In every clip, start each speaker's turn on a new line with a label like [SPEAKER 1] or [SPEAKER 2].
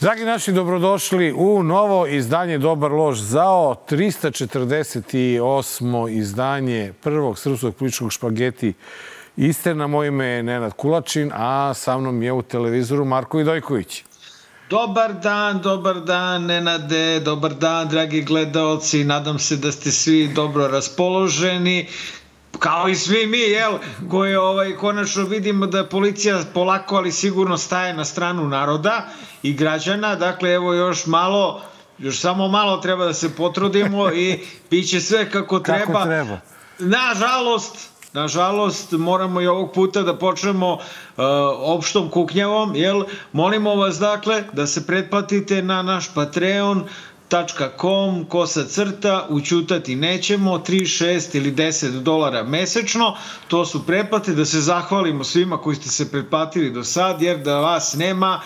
[SPEAKER 1] Dragi naši, dobrodošli u novo izdanje Dobar loš zao, 348. izdanje prvog srpskog političkog špageti Istina. Moje ime je Nenad Kulačin, a sa mnom je u televizoru Marko Vidojković.
[SPEAKER 2] Dobar dan, Nenade, dobar dan, dragi gledaoci. Nadam se da ste svi dobro raspoloženi, kao i svi mi, koji konačno vidimo da policija polako, ali sigurno staje na stranu naroda i građana. Dakle, evo još samo malo treba da se potrudimo i bit će sve kako treba.
[SPEAKER 1] Kako treba.
[SPEAKER 2] Nažalost, moramo i ovog puta da počnemo opštom kuknjavom, molimo vas dakle da se pretplatite na naš patreon.com ućutati nećemo, 3, 6 ili $10 mesečno, to su pretplate, da se zahvalimo svima koji ste se pretplatili do sad, jer da vas nema,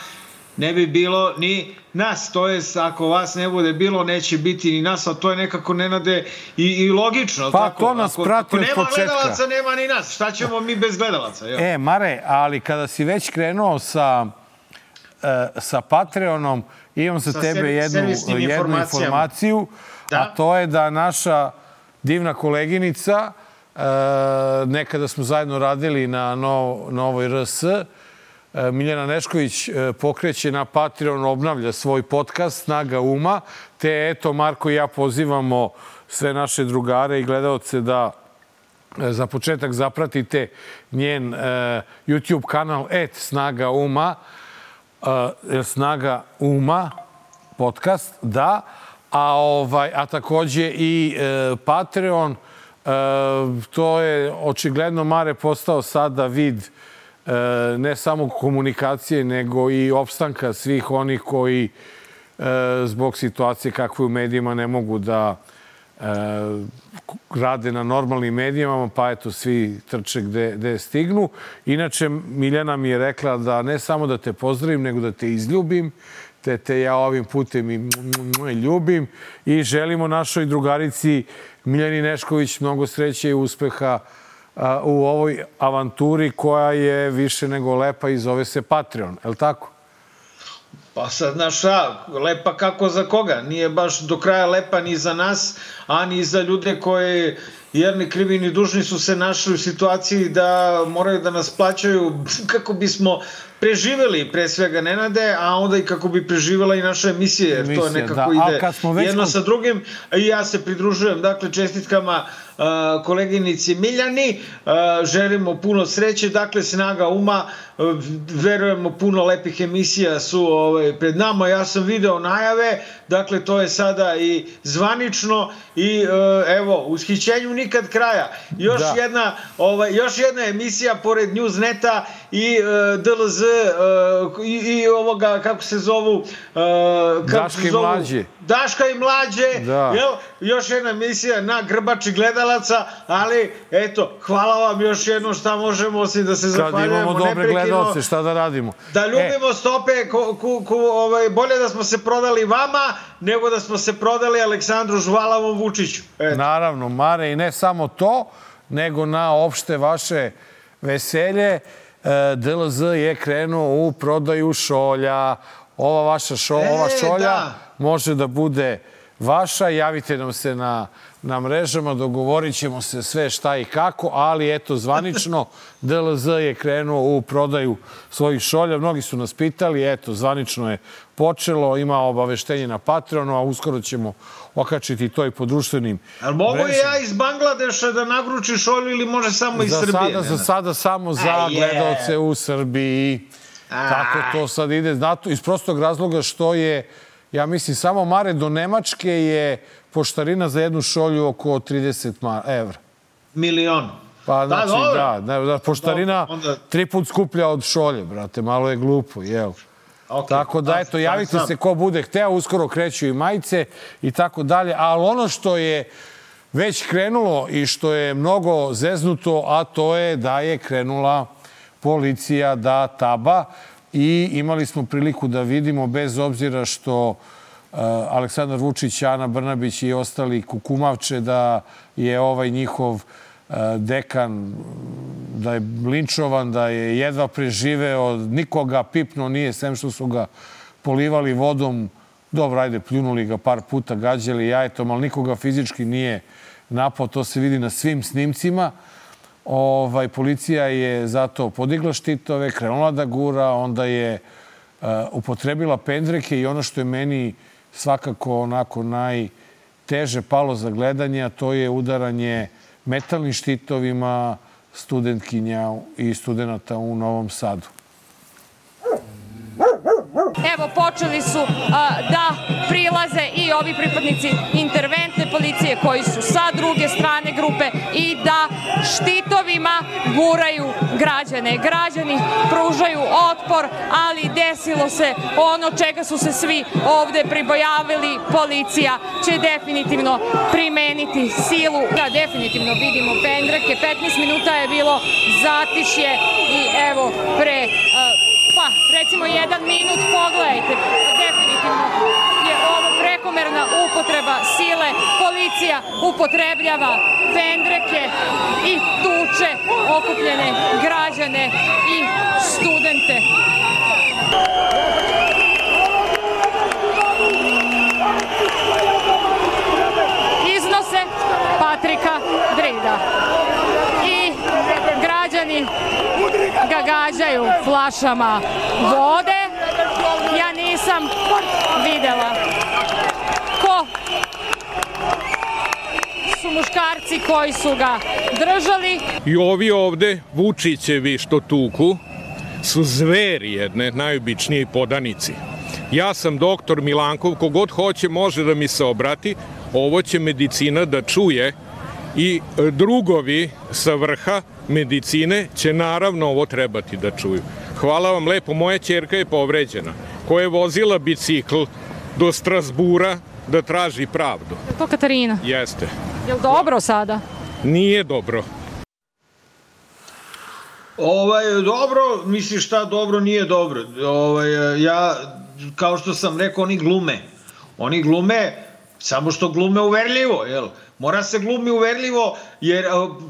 [SPEAKER 2] ne bi bilo ni nas, to jest ako vas ne bude bilo, neće biti ni nas, a to je nekako, Nenade, i logično.
[SPEAKER 1] Pa
[SPEAKER 2] tako?
[SPEAKER 1] To nas prati od početka.
[SPEAKER 2] Ako nema gledalaca, nema ni nas. Šta ćemo mi bez gledalaca?
[SPEAKER 1] Mare, ali kada si već krenuo sa Patreonom, imam za tebe jednu informaciju, a to je da naša divna koleginica, nekada smo zajedno radili na Novoj RS, Miljana Nešković pokreće na Patreon, obnavlja svoj podcast Snaga uma, te eto Marko i ja pozivamo sve naše drugare i gledaoce da za početak zapratite njen YouTube kanal @Snaga uma, Snaga uma podcast, da, a takođe i Patreon, to je očigledno, Mare, postao sada vid ne samo komunikacije, nego i opstanka svih onih koji zbog situacije kakve u medijima ne mogu da rade na normalnim medijima, pa eto svi trče gde stignu. Inače, Miljana mi je rekla da ne samo da te pozdravim, nego da te izljubim, te ja ovim putem i ljubim i želimo našoj drugarici Miljani Nešković mnogo sreće i uspeha u ovoj avanturi koja je više nego lepa i zove se Patreon, je li tako?
[SPEAKER 2] Pa sad, lepa kako za koga? Nije baš do kraja lepa ni za nas, a ni za ljude koji, jer ni krivi ni dužni, su se našli u situaciji da moraju da nas plaćaju kako bismo preživeli, pre svega, Nenade, a onda i kako bi preživela i naša emisija, jer to nekako ide jedno sa drugim. I ja se pridružujem, dakle, čestitkama koleginici Miljani, želimo puno sreće, dakle, Snaga uma, verujemo, puno lepih emisija su pred nama, ja sam video najave, dakle, to je sada i zvanično i evo, ushićenju nikad kraja. Još jedna emisija pored Newsneta i DLZ i ovoga, kako se zovu, Daška i mlađe, još jedna emisija na grbači gledalaca, ali eto, hvala vam još jednom, šta možemo osim da se zahvaljujemo.
[SPEAKER 1] Kad imamo dobre gledalce, šta da radimo?
[SPEAKER 2] Da ljubimo stope, bolje da smo se prodali vama, nego da smo se prodali Aleksandru Žvalavom Vučiću.
[SPEAKER 1] Naravno, Mare, i ne samo to, nego na opšte vaše veselje, DLZ je krenuo u prodaju šolja. Ova šolja može da bude vaša. Javite nam se na mrežama, dogovorit ćemo se sve šta i kako, ali eto, zvanično DLZ je krenuo u prodaju svojih šolja. Mnogi su nas pitali, eto, zvanično je počelo, ima obaveštenje na Patreonu, a uskoro ćemo okačiti to i po društvenim mrežama.
[SPEAKER 2] Ali mogu i ja iz Bangladeša da nagručim šolju ili može samo iz Srbije?
[SPEAKER 1] Za sada samo za gledaoce u Srbiji. Tako to sad ide. Iz prostog razloga što je, ja mislim, samo, Mare, do Nemačke je poštarina za jednu šolju oko 30 evra.
[SPEAKER 2] Milion.
[SPEAKER 1] Pa znači, da, poštarina 3 put skuplja od šolje, brate, malo je glupo, jel? Tako da, eto, javite se ko bude hteo, uskoro kreću i majice i tako dalje, ali ono što je već krenulo i što je mnogo zeznuto, a to je da je krenula policija da taba i imali smo priliku da vidimo, bez obzira što Aleksandar Vučić, Ana Brnabić i ostali kukumavče da je ovaj njihov dekan, da je linčovan, da je jedva preživeo, nikoga pipno nije, sem što su ga polivali vodom, dobro, ajde, pljunuli ga par puta, gađali jajetom, ali nikoga fizički nije napao, to se vidi na svim snimcima. Policija je zato podigla štitove, krenula da gura, onda je upotrebila pendreke i ono što je meni svakako onako najteže palo za gledanje, a to je udaranje metalnim štitovima studentkinja i studenta u Novom Sadu.
[SPEAKER 3] Evo, počeli su da prilaze i ovi pripadnici interventne policije koji su sa druge strane grupe i da štitovima guraju građane. Građani pružaju otpor, ali desilo se ono čega su se svi ovde pribojavili. Policija će definitivno primeniti silu. Da, definitivno vidimo pendreke. 15 minuta je bilo zatišje i evo pre... recimo 1 minut, pogledajte, definitivno je ovo prekomerna upotreba sile, policija upotrebljava pendreke i tuče okupljene građane i studente. Iznose Patrika Drida i građani ga gađaju flašama vode. Ja nisam videla ko su muškarci koji su ga držali.
[SPEAKER 4] I ovi ovde, Vučićevi što tuku, su zveri jedne, najobičniji podanici. Ja sam doktor Milankov, kogod hoće može da mi se obrati, ovo će medicina da čuje i drugovi sa vrha medicine će naravno ovo trebati da čuju. Hvala vam lepo, moja ćerka je povređena, koja je vozila bicikl do Strasbura da traži pravdu.
[SPEAKER 3] Je to Katarina?
[SPEAKER 4] Jeste.
[SPEAKER 3] Je li dobro sada?
[SPEAKER 4] Nije dobro.
[SPEAKER 2] Dobro, misliš šta dobro, nije dobro. Ja, kao što sam rekao, oni glume, samo što glume uverljivo, jel? Mora se glumi uverljivo, jer,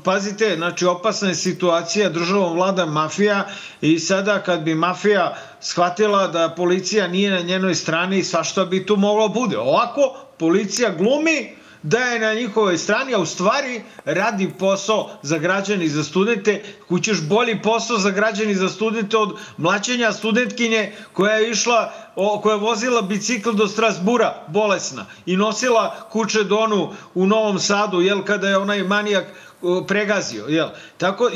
[SPEAKER 2] pazite, znači, opasna je situacija, državom vlada mafija i sada kad bi mafija shvatila da policija nije na njenoj strani, svašta bi tu moglo bude. Ovako, policija glumi da je na njihovoj strani, a u stvari radi posao za građane i za studente. Kućeš bolji posao za građane i za studente od mlaćenja studentkinje koja je vozila bicikl do Strasbura, bolesna, i nosila kučedonu u Novom Sadu, jel, kada je onaj manijak pregazio, jel. Tako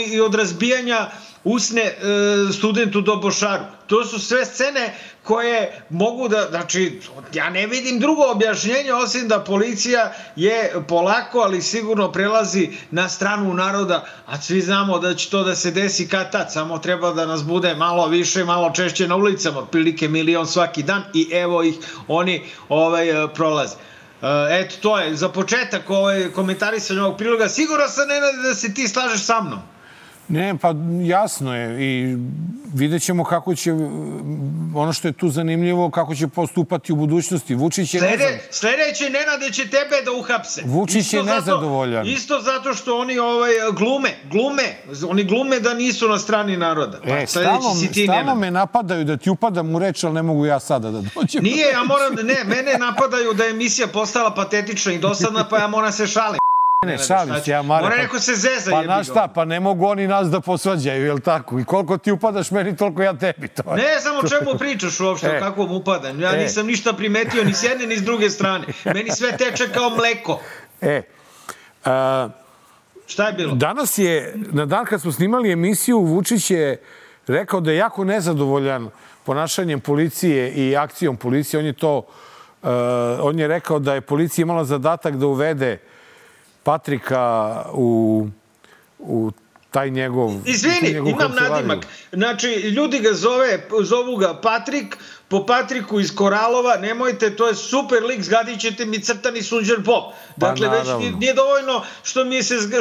[SPEAKER 2] i od razbijanja usne studentu do Bošaru. To su sve scene koje mogu da, znači, ja ne vidim drugo objašnjenje osim da policija je polako, ali sigurno prelazi na stranu naroda, a svi znamo da će to da se desi kad tad, samo treba da nas bude malo više, malo češće na ulicama, otprilike 1 milion svaki dan i evo ih, oni prolaze. Eto, to je za početak komentarisanje ovog priloga. Sigurno sam, Nenade, da se ti slažeš sa mnom.
[SPEAKER 1] Ne, pa jasno je i vidjet ćemo kako će, ono što je tu zanimljivo, kako će postupati u budućnosti. Vučić je
[SPEAKER 2] Sledeće, Nenade, će tebe da uhapse.
[SPEAKER 1] Vučić je nezadovoljan.
[SPEAKER 2] Isto zato što oni glume da nisu na strani naroda.
[SPEAKER 1] Stalno me napadaju da ti upadam u reč, ali ne mogu ja sada da dođem.
[SPEAKER 2] Nije, mene napadaju da je emisija postala patetična i dosadna, pa ja moram se šalim.
[SPEAKER 1] Ne, šalim se, ja Mare.
[SPEAKER 2] Mora neko se zeza.
[SPEAKER 1] Pa znaš šta, pa ne mogu oni nas da posvađaju, jel tako? I koliko ti upadaš meni, toliko ja tebi.
[SPEAKER 2] Ne znam o čemu pričaš uopšte, o kakvom upadanju. Ja nisam ništa primetio ni s jedne ni s druge strane. Meni sve teče kao mleko. Šta je bilo?
[SPEAKER 1] Danas je, na dan kad smo snimali emisiju, Vučić je rekao da je jako nezadovoljan ponašanjem policije i akcijom policije. On je rekao da je policija imala zadatak da uvede Patrika u taj njegov...
[SPEAKER 2] Izvini, imam nadimak. Znači, ljudi ga zovu ga Patrik, po Patriku iz Koralova, nemojte, to je super lik, zgadit ćete mi crtani Sunđer Pop. Dakle, već nije dovoljno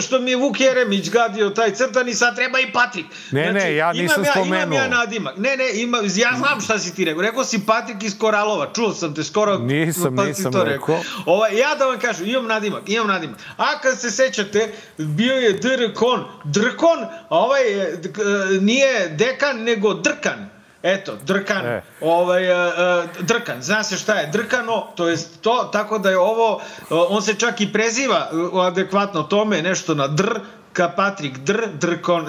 [SPEAKER 2] što mi je Vuk Jeremić gadio taj crtani, sad treba i Patrik.
[SPEAKER 1] Ne, ja nisam spomenuo.
[SPEAKER 2] Imam ja nadimak. Ja znam šta si ti rekao. Rekao si Patrik iz Koralova, čuo sam te skoro.
[SPEAKER 1] Nisam rekao.
[SPEAKER 2] Ja da vam kažem, imam nadimak. A kad se sećate, bio je Drkon, a ovaj nije dekan, nego Drkan. Eto, drkan. Drkan. Zna se šta je drkano, to je to, tako da je ovo, on se čak i preziva adekvatno tome, nešto na ka Patrik,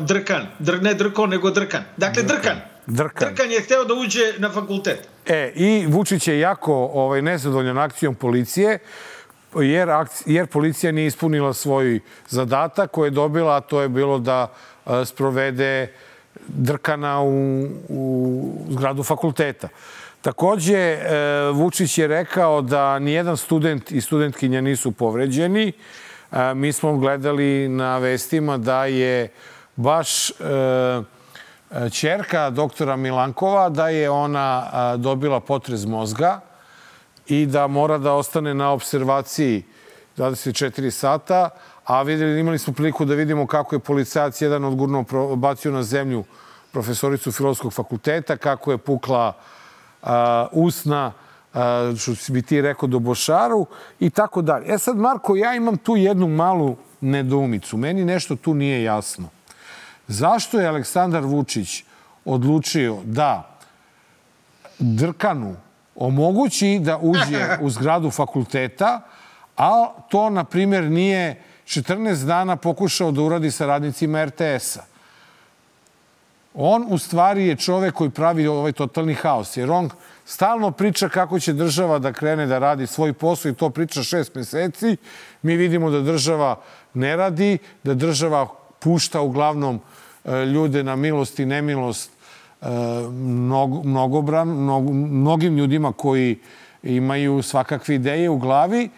[SPEAKER 2] drkan. Ne drkon, nego drkan. Dakle, drkan. Drkan je hteo da uđe na fakultet.
[SPEAKER 1] I Vučić je jako nezadovoljan akcijom policije, jer policija nije ispunila svoj zadatak koji je dobila, a to je bilo da sprovede drkana u zgradu fakulteta. Takođe, Vučić je rekao da nijedan student i studentkinja nisu povređeni. Mi smo gledali na vestima da je baš ćerka doktora Milankova, da je ona dobila potres mozga i da mora da ostane na observaciji 24 sata, a imali smo priliku da vidimo kako je policajac jedan odgurno bacio na zemlju profesoricu Filozofskog fakulteta, kako je pukla usna, što bi ti rekao, do bošaru i tako dalje. Sad, Marko, ja imam tu jednu malu nedoumicu. Meni nešto tu nije jasno. Zašto je Aleksandar Vučić odlučio da drkanu omogući da uđe u zgradu fakulteta, a to, na primjer, nije 14 dana pokušao da uradi sa radnicima RTS-a? On, u stvari, je čovek koji pravi ovaj totalni haos, jer on stalno priča kako će država da krene da radi svoj posao i to priča 6 meseci. Mi vidimo da država ne radi, da država pušta uglavnom ljude na milost i nemilost mnogim ljudima koji imaju svakakve ideje u glavi.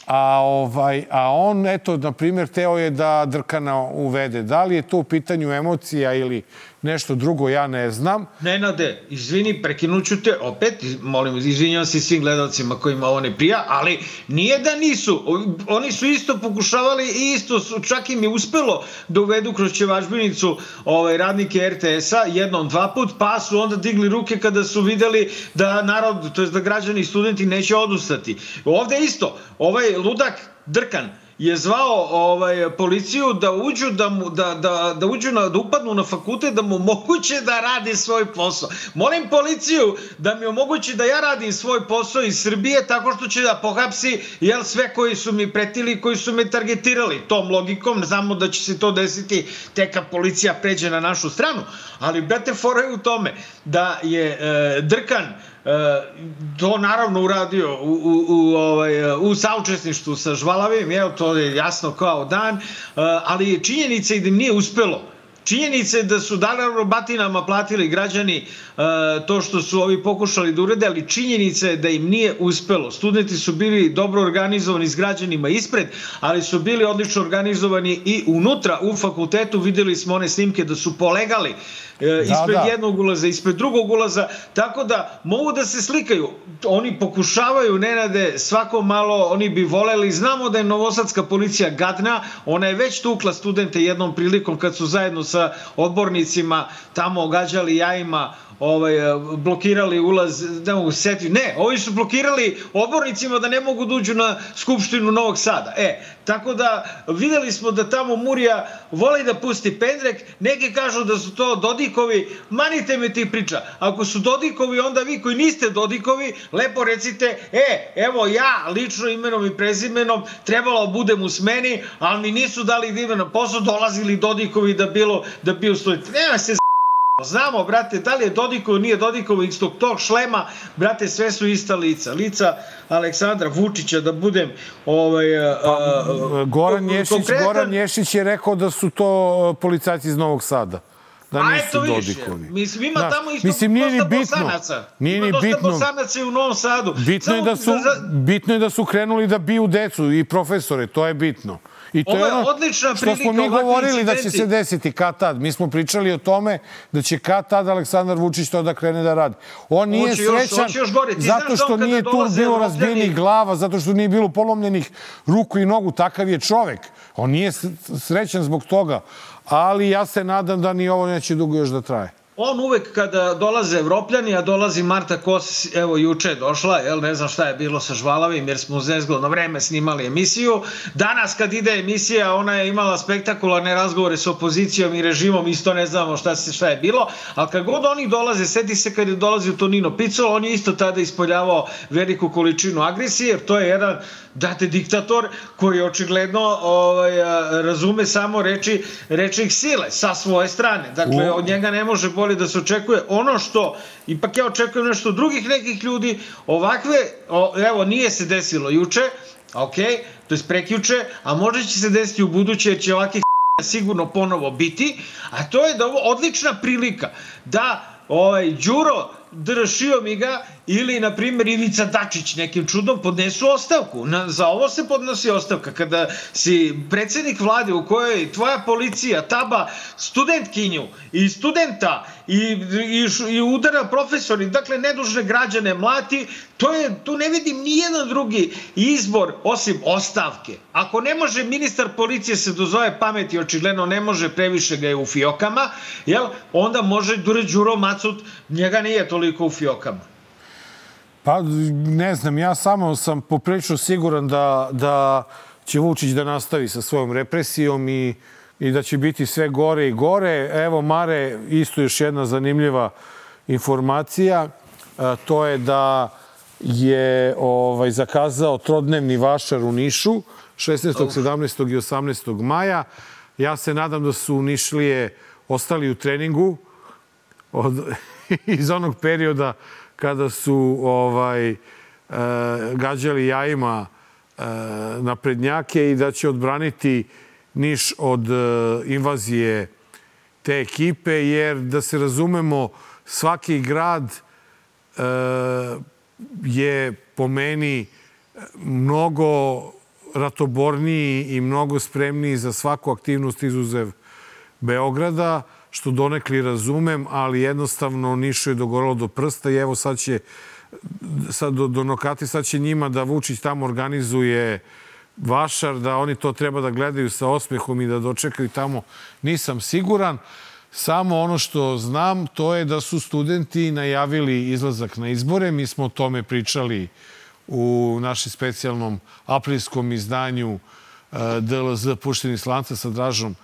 [SPEAKER 1] A on, eto, na primjer, teo je da drkana uvede. Da li je to u pitanju emocija ili nešto drugo, ja ne znam.
[SPEAKER 2] Nenade, izvini, prekinuću te opet, molim, izvinjam se svim gledalcima kojima ovo ne prija, ali nije da nisu. Oni su isto pokušavali i isto su, čak im je uspelo da uvedu kroz ćevažbinicu radnike RTS-a, jednom, dva put, pa su onda digli ruke kada su videli da narod, to jest da građani i studenti neće odustati. Ovde isto, ovaj ludak drkan je zvao policiju da uđu da upadnu na fakultet, da mu omoguće da radi svoj posao. Molim policiju da mi omogući da ja radim svoj posao iz Srbije tako što će da pohapsi sve koji su mi pretili, koji su me targetirali. Tom logikom znamo da će se to desiti tek kad policija pređe na našu stranu. Ali, brate, fora je u tome da je drkan to naravno uradio u saučesništvu sa Žvalavim, to je jasno kao dan, ali činjenica je da im nije uspelo. Činjenica je da su naravno batinama platili građani to što su ovi pokušali da urede, ali činjenica je da im nije uspelo. Studenti su bili dobro organizovani s građanima ispred, ali su bili odlično organizovani i unutra u fakultetu. Videli smo one snimke da su polegali ispred jednog ulaza, ispred drugog ulaza, tako da mogu da se slikaju. Oni pokušavaju, Nenade, svako malo, oni bi voleli. Znamo da je novosadska policija gadna, ona je već tukla studente jednom prilikom kad su zajedno sa odbornicima tamo gađali jajima, blokirali ulaz, ne mogu se setiti, ne, ovi su blokirali odbornicima da ne mogu da uđu na Skupštinu Novog Sada. Tako da videli smo da tamo Murija voli da pusti pendrek, neki kažu da su to Dodikovi, manite me ti priča. Ako su Dodikovi, onda vi koji niste Dodikovi, lepo recite, evo ja lično imenom i prezimenom trebalo budem u smeni, ali mi nisu dali da ime na posao, dolazili Dodikovi da bio student. Nema se znamo, brate, da li je Dodikovo, nije Dodikovo, iz tog šlema, brate, sve su ista lica. Lica Aleksandra Vučića, da budem
[SPEAKER 1] Goran Ješić je rekao da su to policajci iz Novog Sada. Da nisu Dodikovi.
[SPEAKER 2] Mislim, ima tamo isto dosta Bosanaca. Ima dosta Bosanaca i u Novom Sadu.
[SPEAKER 1] Bitno je da su krenuli da biju decu i profesore, to je bitno. I to je ono što smo mi govorili da će se desiti kad tad. Mi smo pričali o tome da će kad tad Aleksandar Vučić to da krene da radi. On nije srećan zato što nije tu bilo razbijenih glava, zato što nije bilo polomljenih ruku i nogu. Takav je čovek. On nije srećan zbog toga. Ali ja se nadam da ni ovo neće dugo još da traje.
[SPEAKER 2] on uvek kada dolaze Evropljani, a dolazi Marta Kos, evo juče je došla, ne znam šta je bilo sa Žvalavim, jer smo u nezgodno vreme snimali emisiju. Danas kad ide emisija, ona je imala spektakularne razgovore s opozicijom i režimom, isto ne znamo šta je bilo, ali kad god oni dolaze, seti se kad je dolazio Tonino Picolo, on je isto tada ispoljavao veliku količinu agresije, jer to je jedan diktator koji očigledno razume samo reči ih sile sa svoje strane. Dakle, od njega ne može bolje da se očekuje. Ono što, ipak ja očekujem nešto drugih nekih ljudi, ovakve, evo, nije se desilo juče, to je prekjuče, a možda će se desiti u buduće, jer će ovakvih sigurno ponovo biti, a to je da ovo odlična prilika da Đuro Šiomiga ili, na primjer, Ivica Dačić nekim čudom podnesu ostavku. Za ovo se podnosi ostavka. Kada si predsjednik vlade u kojoj tvoja policija taba studentkinju i studenta i udara profesori, dakle nedužne građane mlati, tu ne vidim nijedan drugi izbor osim ostavke. Ako ne može ministar policije se dozove pameti, očigledno ne može, previše ga je u fiokama, onda može Đuro Macut, njega nije toliko u fiokama.
[SPEAKER 1] Pa ne znam, ja samo sam poprilično siguran da će Vučić da nastavi sa svojom represijom i da će biti sve gore i gore. Evo, Mare, isto još jedna zanimljiva informacija. To je da je zakazao trodnevni vašar u Nišu 16., 17. i 18. maja. Ja se nadam da su Nišlije ostali u treningu iz onog perioda kada su gađali jajima naprednjake i da će odbraniti Niš od invazije te ekipe, jer da se razumemo, svaki grad je po meni mnogo ratoborniji i mnogo spremniji za svaku aktivnost izuzev Beograda, što donekli razumem, ali jednostavno Nišu je dogoralo do prsta i evo sad do nokati, sad će njima da Vučić tamo organizuje vašar, da oni to treba da gledaju sa osmehom i da dočekaju tamo. Nisam siguran. Samo ono što znam, to je da su studenti najavili izlazak na izbore. Mi smo o tome pričali u našem specijalnom aprilskom izdanju DLZ Pušteni slanca sa Dražom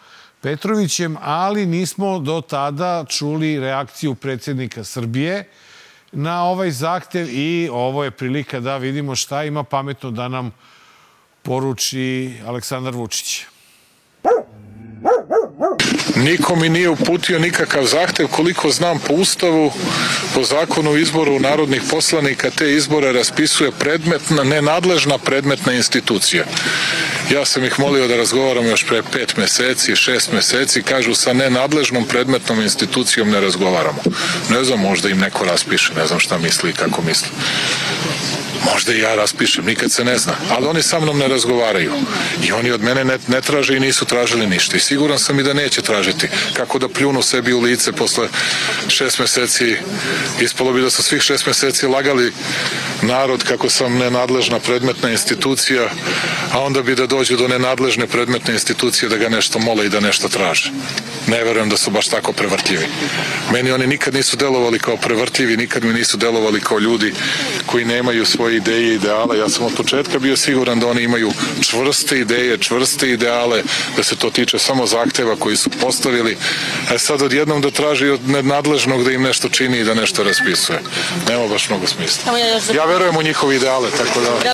[SPEAKER 1] Petrovićem, ali nismo do tada čuli reakciju predsjednika Srbije na ovaj zahtev i ovo je prilika da vidimo šta ima pametno da nam poruči Aleksandar Vučić.
[SPEAKER 5] Niko mi nije uputio nikakav zahtev. Koliko znam, po Ustavu, po zakonu o izboru narodnih poslanika, te izbore raspisuje nenadležna predmetna institucija. Ja sam ih molio da razgovaram još pre 5 meseci, 6 meseci. Kažu, sa nenadležnom predmetnom institucijom ne razgovaramo. Ne znam, možda im neko raspiše, ne znam šta misli i kako misli. Možda i ja raspišem, nikad se ne zna. Ali oni sa mnom ne razgovaraju. I oni od mene ne traže i nisu tražili ništa. I siguran sam i da neće tražiti. Kako da pljunu sebi u lice posle 6 meseci. Ispalo bi da su svih 6 meseci lagali narod kako sam nenadležna predmetna institucija, a onda bi da dođu do nenadležne predmetne institucije da ga nešto mole i da nešto traže. Ne verujem da su baš tako prevrtljivi. Meni oni nikad nisu delovali kao prevrtljivi, nikad mi nisu delovali kao ljudi koji nemaju svoje ideje i ideale. Ja sam od početka bio siguran da oni imaju čvrste ideje, čvrste ideale, da se to tiče samo zahteva koji su postavili. A sad odjednom da traži od nadležnog da im nešto čini i da nešto raspisuje. Nema baš mnogo smisla. Ja verujem u njihove ideale, tako da...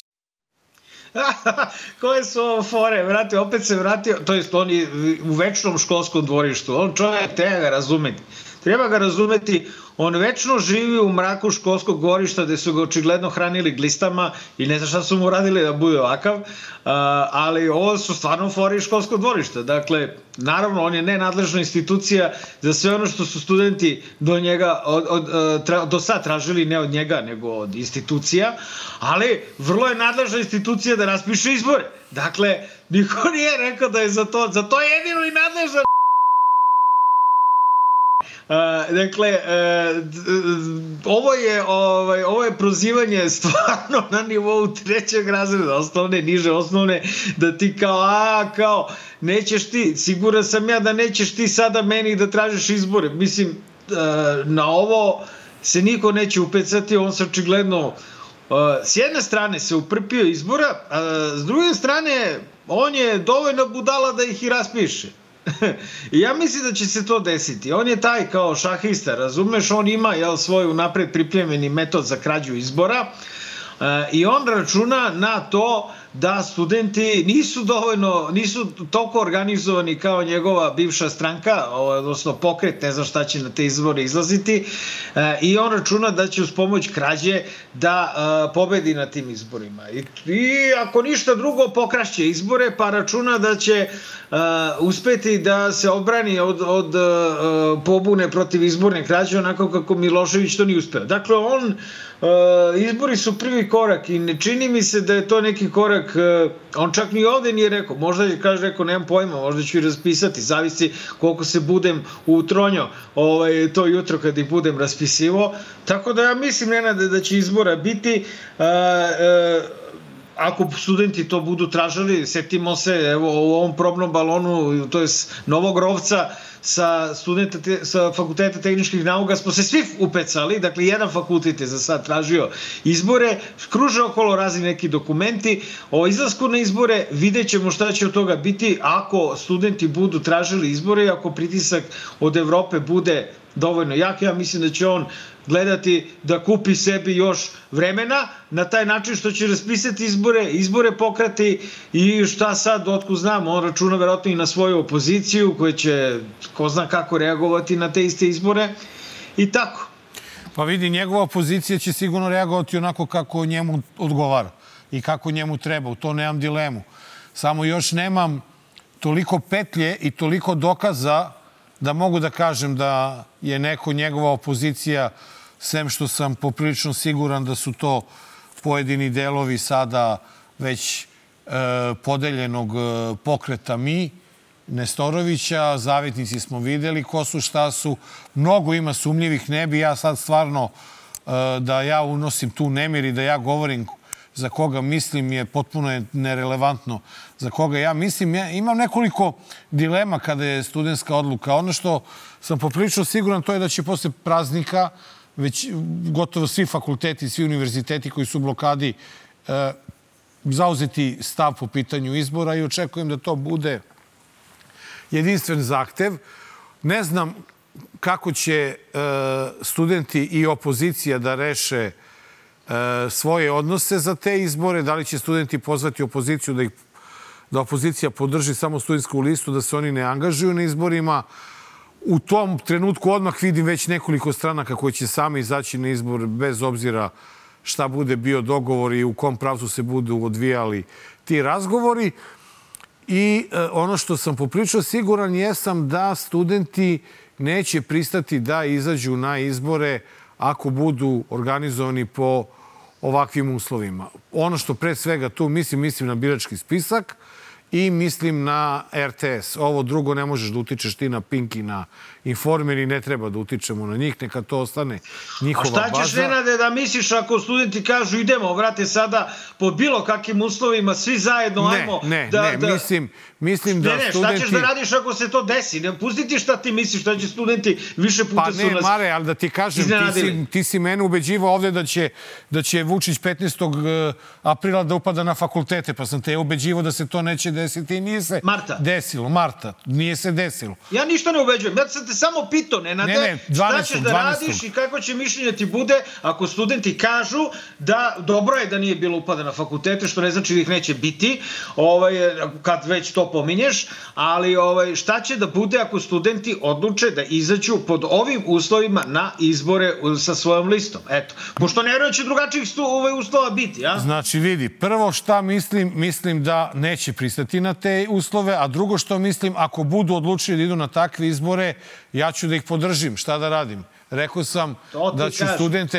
[SPEAKER 2] Koje su ovo fore, vrati, opet se vratio, to jest on je u večnom školskom dvorištu, on čovjek treba ga razumeti, on večno živi u mraku školskog dvorišta gde su ga očigledno hranili glistama i ne znam šta su mu radili da bude ovakav, ali ovo su stvarno fore iz školskog dvorišta. Dakle, naravno, on je nenadležna institucija za sve ono što su studenti do sad tražili, ne od njega, nego od institucija, ali vrlo je nadležna institucija da raspiše izbore. Dakle, niko nije rekao da je za to je jedino i nadležna. Dakle, ovo je prozivanje stvarno na nivou 3. razreda, osnovne, niže osnovne, da ti kao, nećeš ti, siguran sam ja da nećeš ti sada meni da tražiš izbore. Mislim, na ovo se niko neće upecati, on se očigledno s jedne strane se uprpio izbora, a s druge strane on je dovoljno budala da ih i raspiše. I ja mislim da će se to desiti. On je taj kao šahista, razumeš, on ima svoj unapred pripremljeni metod za krađu izbora i on računa na to da studenti nisu toliko organizovani kao njegova bivša stranka, odnosno pokret, ne znam šta će na te izbore izlaziti, i on računa da će uz pomoć krađe da pobedi na tim izborima. I ako ništa drugo, pokrašće izbore, pa računa da će uspeti da se odbrani od pobune protiv izborne krađe, onako kako Milošević to nije uspeo. Dakle, izbori su prvi korak i ne čini mi se da je to neki korak, on čak ni ovde nije rekao, možda je rekao, nemam pojma, možda ću i raspisati, zavisi koliko se budem utronio to jutro kad ih budem raspisivo, tako da ja mislim, Nenade, da će izbora biti, ako studenti to budu tražili, setimo se, evo, u ovom probnom balonu, to je Novog Rovca, sa Fakulteta tehničkih nauka smo se svi upecali, dakle jedan fakultet je za sad tražio izbore, kruže okolo razni neki dokumenti o izlasku na izbore, vidjet ćemo šta će od toga biti ako studenti budu tražili izbore i ako pritisak od Evrope bude dovoljno jak. Ja mislim da će on gledati da kupi sebi još vremena na taj način što će raspisati izbore pokrati i šta sad, otkud znam, on računa verovatno i na svoju opoziciju koja će ko zna kako reagovati na te iste izbore i tako.
[SPEAKER 1] Pa vidi, njegova opozicija će sigurno reagovati onako kako njemu odgovara i kako njemu treba, u to nemam dilemu. Samo još nemam toliko petlje i toliko dokaza da mogu da kažem da je neko njegova opozicija, sem što sam poprilično siguran da su to pojedini delovi sada već podeljenog pokreta Mi, Nestorovića, zavetnici smo videli ko su, šta su. Mnogo ima sumnjivih, ne bi ja sad stvarno da ja unosim tu nemir i da ja govorim za koga mislim, je potpuno nerelevantno za koga ja mislim. Ja imam nekoliko dilema kada je studentska odluka. Ono što sam poprilično siguran to je da će posle praznika već gotovo svi fakulteti, svi univerziteti koji su u blokadi zauzeti stav po pitanju izbora i očekujem da to bude jedinstven zahtev. Ne znam kako će studenti i opozicija da reše svoje odnose za te izbore, da li će studenti pozvati opoziciju da opozicija podrži samo studentsku listu, da se oni ne angažuju na izborima. U tom trenutku odmah vidim već nekoliko stranaka koji će sami izaći na izbor bez obzira šta bude bio dogovor i u kom pravcu se budu odvijali ti razgovori. I ono što sam poprilično siguran jesam da studenti neće pristati da izađu na izbore ako budu organizovani po ovakvim uslovima. Ono što pre svega tu mislim na birački spisak i mislim na RTS. Ovo drugo ne možeš da utičeš ti na Pink i na Informer i ne treba da utičemo na njih, neka to ostane njihova baza.
[SPEAKER 2] A šta ćeš, Nenade, da misliš ako studenti kažu idemo, vrate, sada pod bilo kakvim uslovima, svi zajedno, ajmo...
[SPEAKER 1] Mislim da studenti...
[SPEAKER 2] Šta ćeš da radiš ako se to desi? Ne pustiti šta ti misliš, šta će studenti više puta su nas...
[SPEAKER 1] Pa ne, Mare, ali da ti kažem, ti si mene ubeđivao ovde da će Vučić 15. aprila da upada na fakultete, pa sam te ubeđivao da se to neće desiti i nije se desilo. Marta, nije se desilo.
[SPEAKER 2] Ja ništa ne ubeđujem, ja sam te samo pitao, Nenade, šta ćeš da radiš i kako će mišljenje ti bude ako studenti kažu da dobro je da nije bilo upada na fakultete, što ne znači da ih neće biti, kad već to pominješ, ali šta će da bude ako studenti odluče da izađu pod ovim uslovima na izbore sa svojom listom? Eto, pošto ne vjerujem da će drugačijih uslova biti, ja?
[SPEAKER 1] Znači, vidi, prvo šta mislim da neće pristati na te uslove, a drugo što mislim, ako budu odlučili da idu na takve izbore, ja ću da ih podržim. Šta da radim? Rekao sam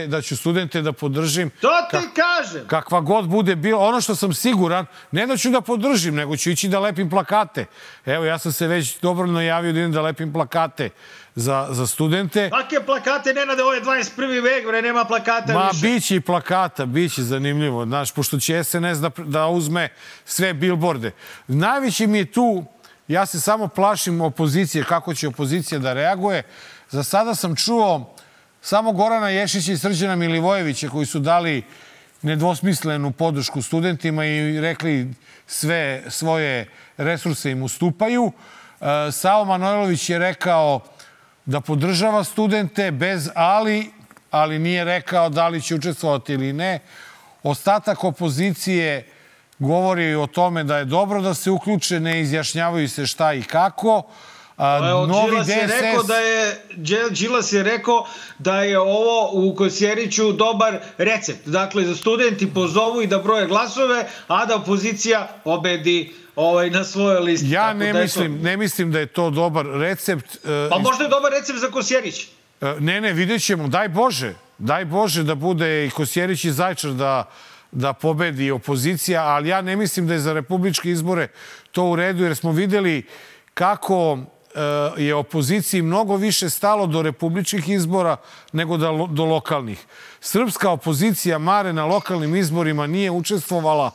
[SPEAKER 1] da ću studente da podržim.
[SPEAKER 2] To ti kažem.
[SPEAKER 1] Kakva god bude bilo. Ono što sam siguran, ne da ću da podržim, nego ću ići da lepim plakate. Evo, ja sam se već dobrovoljno javio da idem da lepim plakate za studente.
[SPEAKER 2] Kakve plakate, Nenade, ovo je 21. vek, nema plakata više.
[SPEAKER 1] Ma, biće i plakata, biće zanimljivo. Znaš, pošto će SNS da uzme sve bilborde. Najveći mi je tu, ja se samo plašim opozicije, kako će opozicija da reaguje. Za sada sam čuo samo Gorana Ješića i Srđana Milivojevića koji su dali nedvosmislenu podršku studentima i rekli sve svoje resurse im ustupaju. Savo Manojlović je rekao da podržava studente bez ali nije rekao da li će učestvovati ili ne. Ostatak opozicije govori o tome da je dobro da se uključe, ne izjašnjavaju se šta i kako.
[SPEAKER 2] Đilas je rekao da je ovo u Kosjeriću dobar recept. Dakle, da studenti pozovu i da broje glasove, a da opozicija pobedi na svojoj listi.
[SPEAKER 1] Ja ne mislim da je to dobar recept.
[SPEAKER 2] Pa možda je dobar recept za Kosjerić.
[SPEAKER 1] Ne, vidjet ćemo. Daj Bože da bude i Kosjerić i Zaječar da pobedi opozicija, ali ja ne mislim da je za republičke izbore to u redu, jer smo videli kako je opoziciji mnogo više stalo do republičkih izbora nego do lokalnih. Srpska opozicija Mare na lokalnim izborima nije učestvovala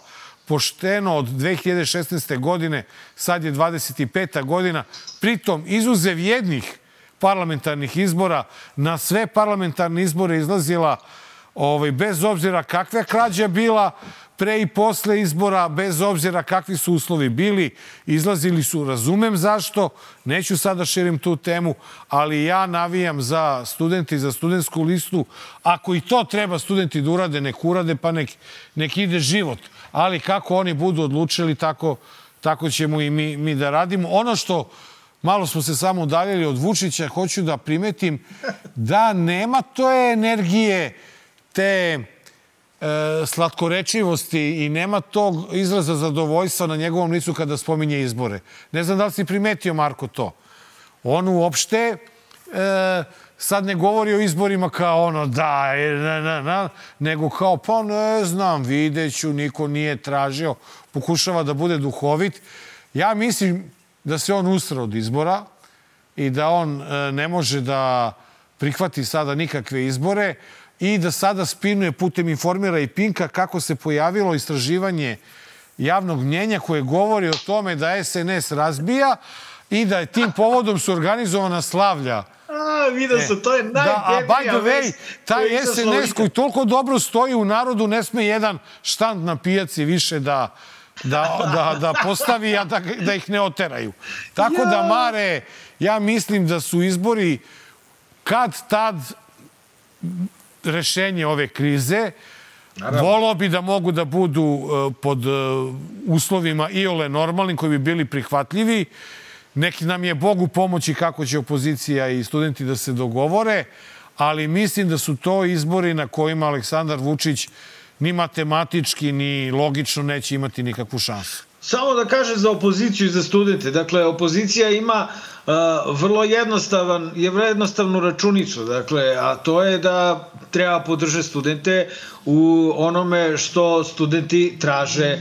[SPEAKER 1] pošteno od 2016. godine, sad je 25. godina, pritom izuzev jednih parlamentarnih izbora, na sve parlamentarne izbore izlazila bez obzira kakva krađa bila pre i posle izbora, bez obzira kakvi su uslovi bili, izlazili su, razumem zašto, neću sada širim tu temu, ali ja navijam za studente i za studentsku listu. Ako i to treba studenti da urade, nek urade, pa nek ide život. Ali kako oni budu odlučili, tako ćemo i mi da radimo. Ono što, malo smo se samo udaljili od Vučića, hoću da primetim da nema te energije, te slatkorečivosti i nema tog izraza zadovoljstva na njegovom licu kada spominje izbore. Ne znam da li si primetio, Marko, to. On uopšte sad ne govori o izborima kao nego kao pa ne znam, videću, niko nije tražio, pokušava da bude duhovit. Ja mislim da se on usra od izbora i da on ne može da prihvati sada nikakve izbore i da sada spinuje putem Informera i Pinka kako se pojavilo istraživanje javnog mnjenja koje govori o tome da SNS razbija i da je tim povodom su organizovana slavlja.
[SPEAKER 2] Vidio sam, to je najdeblija.
[SPEAKER 1] By the way, taj SNS koji toliko dobro stoji u narodu ne sme jedan štand na pijaci više da postavi, a da ih ne oteraju. Tako da, Mare, ja mislim da su izbori kad tad rešenje ove krize. Volao bi da mogu da budu pod uslovima iole normalnim koji bi bili prihvatljivi. Neki nam je Bog u pomoći kako će opozicija i studenti da se dogovore, ali mislim da su to izbori na kojima Aleksandar Vučić ni matematički, ni logično neće imati nikakvu šansu.
[SPEAKER 2] Samo da kažem za opoziciju i za studente. Dakle, opozicija ima vrlo jednostavnu računicu, a to je da treba podržati studente u onome što studenti traže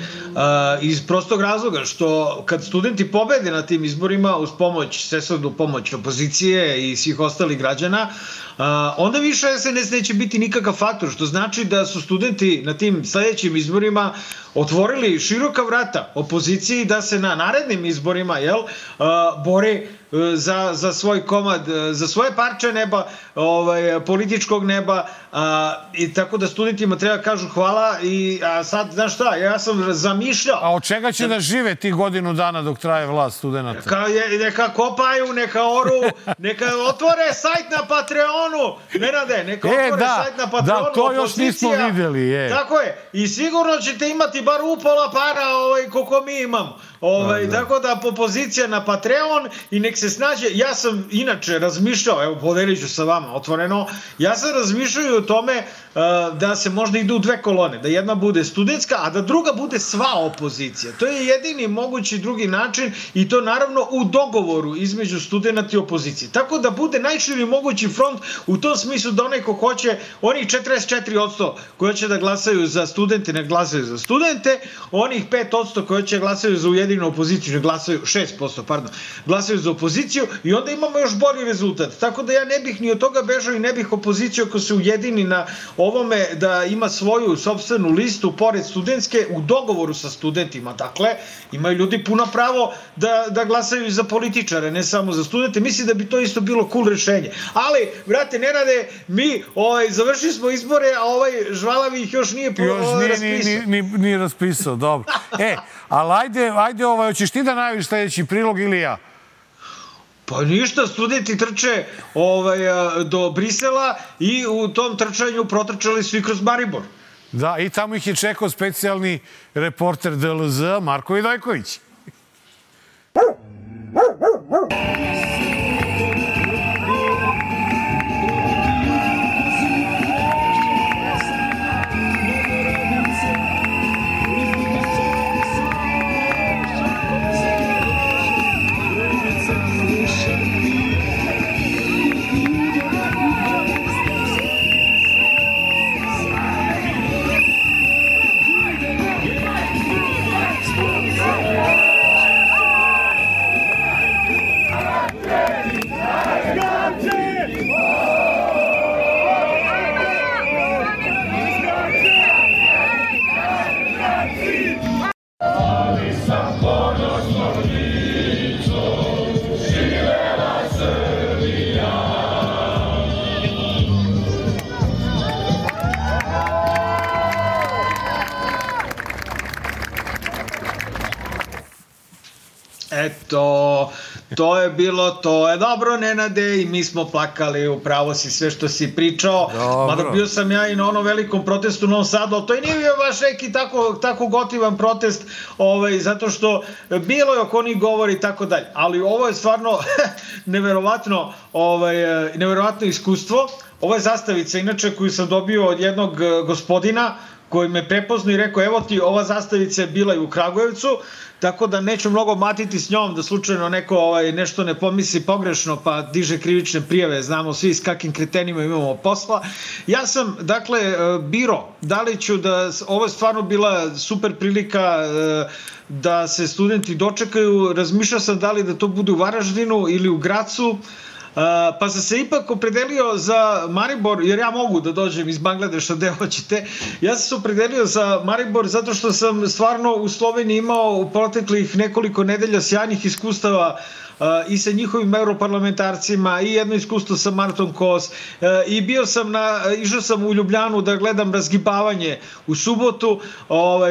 [SPEAKER 2] iz prostog razloga, što kad studenti pobede na tim izborima uz svesrdnu pomoć opozicije i svih ostalih građana, onda više SNS neće biti nikakav faktor, što znači da su studenti na tim sledećim izborima otvorili široka vrata opoziciji da se na narednim izborima bori za svoj komad, za svoje parče neba, političkog neba, i tako da studentima treba kažu hvala. A sad, znaš šta, ja sam zamišljao...
[SPEAKER 1] A od čega će da žive ti godinu dana dok traje vlast studenta?
[SPEAKER 2] Neka kopaju, neka oru, neka otvore sajt na Patreonu, Nenade, neka otvore sajt na Patreonu.
[SPEAKER 1] Da, to još nismo videli.
[SPEAKER 2] Tako je, i sigurno ćete imati bar upola para koliko mi imamo. Tako da opozicija na Patreon i nek se snađe. Ja sam inače razmišljao, evo podelit ću sa vama otvoreno, ja sam razmišljao o tome da se možda ide u dve kolone, da jedna bude studentska, a da druga bude sva opozicija. To je jedini mogući drugi način i to naravno u dogovoru između studenta i opozicije. Tako da bude najširi mogući front u tom smislu da onaj ko hoće, onih 44% koji će da glasaju za studente, ne glasaju za studente, studente, onih 5% koji će glasaju za ujedinu opoziciju, ne glasaju 6%, pardon, glasaju za opoziciju i onda imamo još bolji rezultat. Tako da ja ne bih ni od toga bežao i ne bih opoziciju ako se ujedini na ovome da ima svoju sopstvenu listu pored studentske u dogovoru sa studentima. Dakle, imaju ljudi puno pravo da glasaju za političare, ne samo za studente. Mislim da bi to isto bilo cool rešenje. Ali, brate, Nenade, mi završili smo izbore, a ovaj žvalavi ih još nije raspisao.
[SPEAKER 1] Nije raspisao, dobro. Ali ajde, hoćeš ti da najaviš sledeći prilog ili ja?
[SPEAKER 2] Pa ništa, studenti trče do Brisela i u tom trčanju protrčali su i kroz Maribor.
[SPEAKER 1] Da, i tamo ih je čekao specijalni reporter DLZ Marko Vidojković.
[SPEAKER 2] Eto, to je bilo, to je dobro, Nenade, i mi smo plakali, upravo si sve što si pričao. Mada bio sam ja i na onom velikom protestu u Novom Sadu, ali to i nije bio baš neki tako gotivan protest, zato što bilo je oko onih govori i tako dalje. Ali ovo je stvarno neverovatno iskustvo. Ovo je zastavica, inače, koju sam dobio od jednog gospodina koji me prepoznao i rekao, evo ti, ova zastavica je bila i u Kragujevcu, tako da neću mnogo matiti s njom da slučajno neko nešto ne pomisli pogrešno pa diže krivične prijave, znamo svi s kakvim kretenima imamo posla. Ja sam, dakle, biro, da li ću da, ovo je stvarno bila super prilika da se studenti dočekaju, razmišljao sam da li da to bude u Varaždinu ili u Gracu, pa sam se ipak opredelio za Maribor, jer ja mogu da dođem iz Bangladeša gde hoćete. Ja sam se opredelio za Maribor zato što sam stvarno u Sloveniji imao u proteklih nekoliko nedelja sjajnih iskustava i sa njihovim europarlamentarcima i jedno iskustvo sa Martom Kos i išao sam u Ljubljanu da gledam razgibavanje u subotu.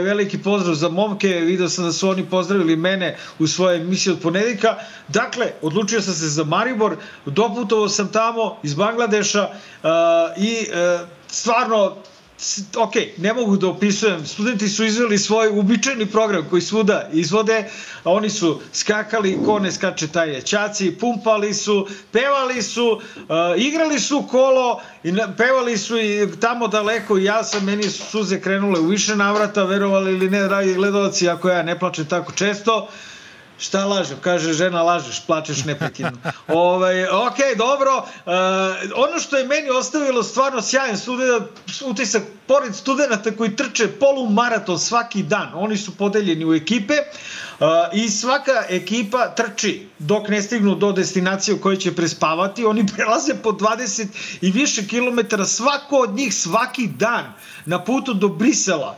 [SPEAKER 2] Veliki pozdrav za momke, vidio sam da su oni pozdravili mene u svojoj emisiji od ponedeljka. Dakle, odlučio sam se za Maribor, doputovao sam tamo iz Bangladeša i stvarno, ok, ne mogu da opisujem, studenti su izveli svoj uobičajeni program koji svuda izvode, a oni su skakali, ko ne skače taj je ćaci, pumpali su, pevali su, igrali su kolo, pevali su i tamo daleko i meni su suze krenule u više navrata, verovali ili ne, dragi gledalci, ako ja ne plačem tako često. Šta lažem? Kaže žena, lažeš, plačeš neprekidno. Ok, dobro. Ono što je meni ostavilo stvarno sjajan utisak, pored studenta koji trče polumaraton svaki dan, oni su podeljeni u ekipe i svaka ekipa trči dok ne stignu do destinacije u kojoj će prespavati. Oni prelaze po 20 i više kilometara, svako od njih svaki dan na putu do Brisela.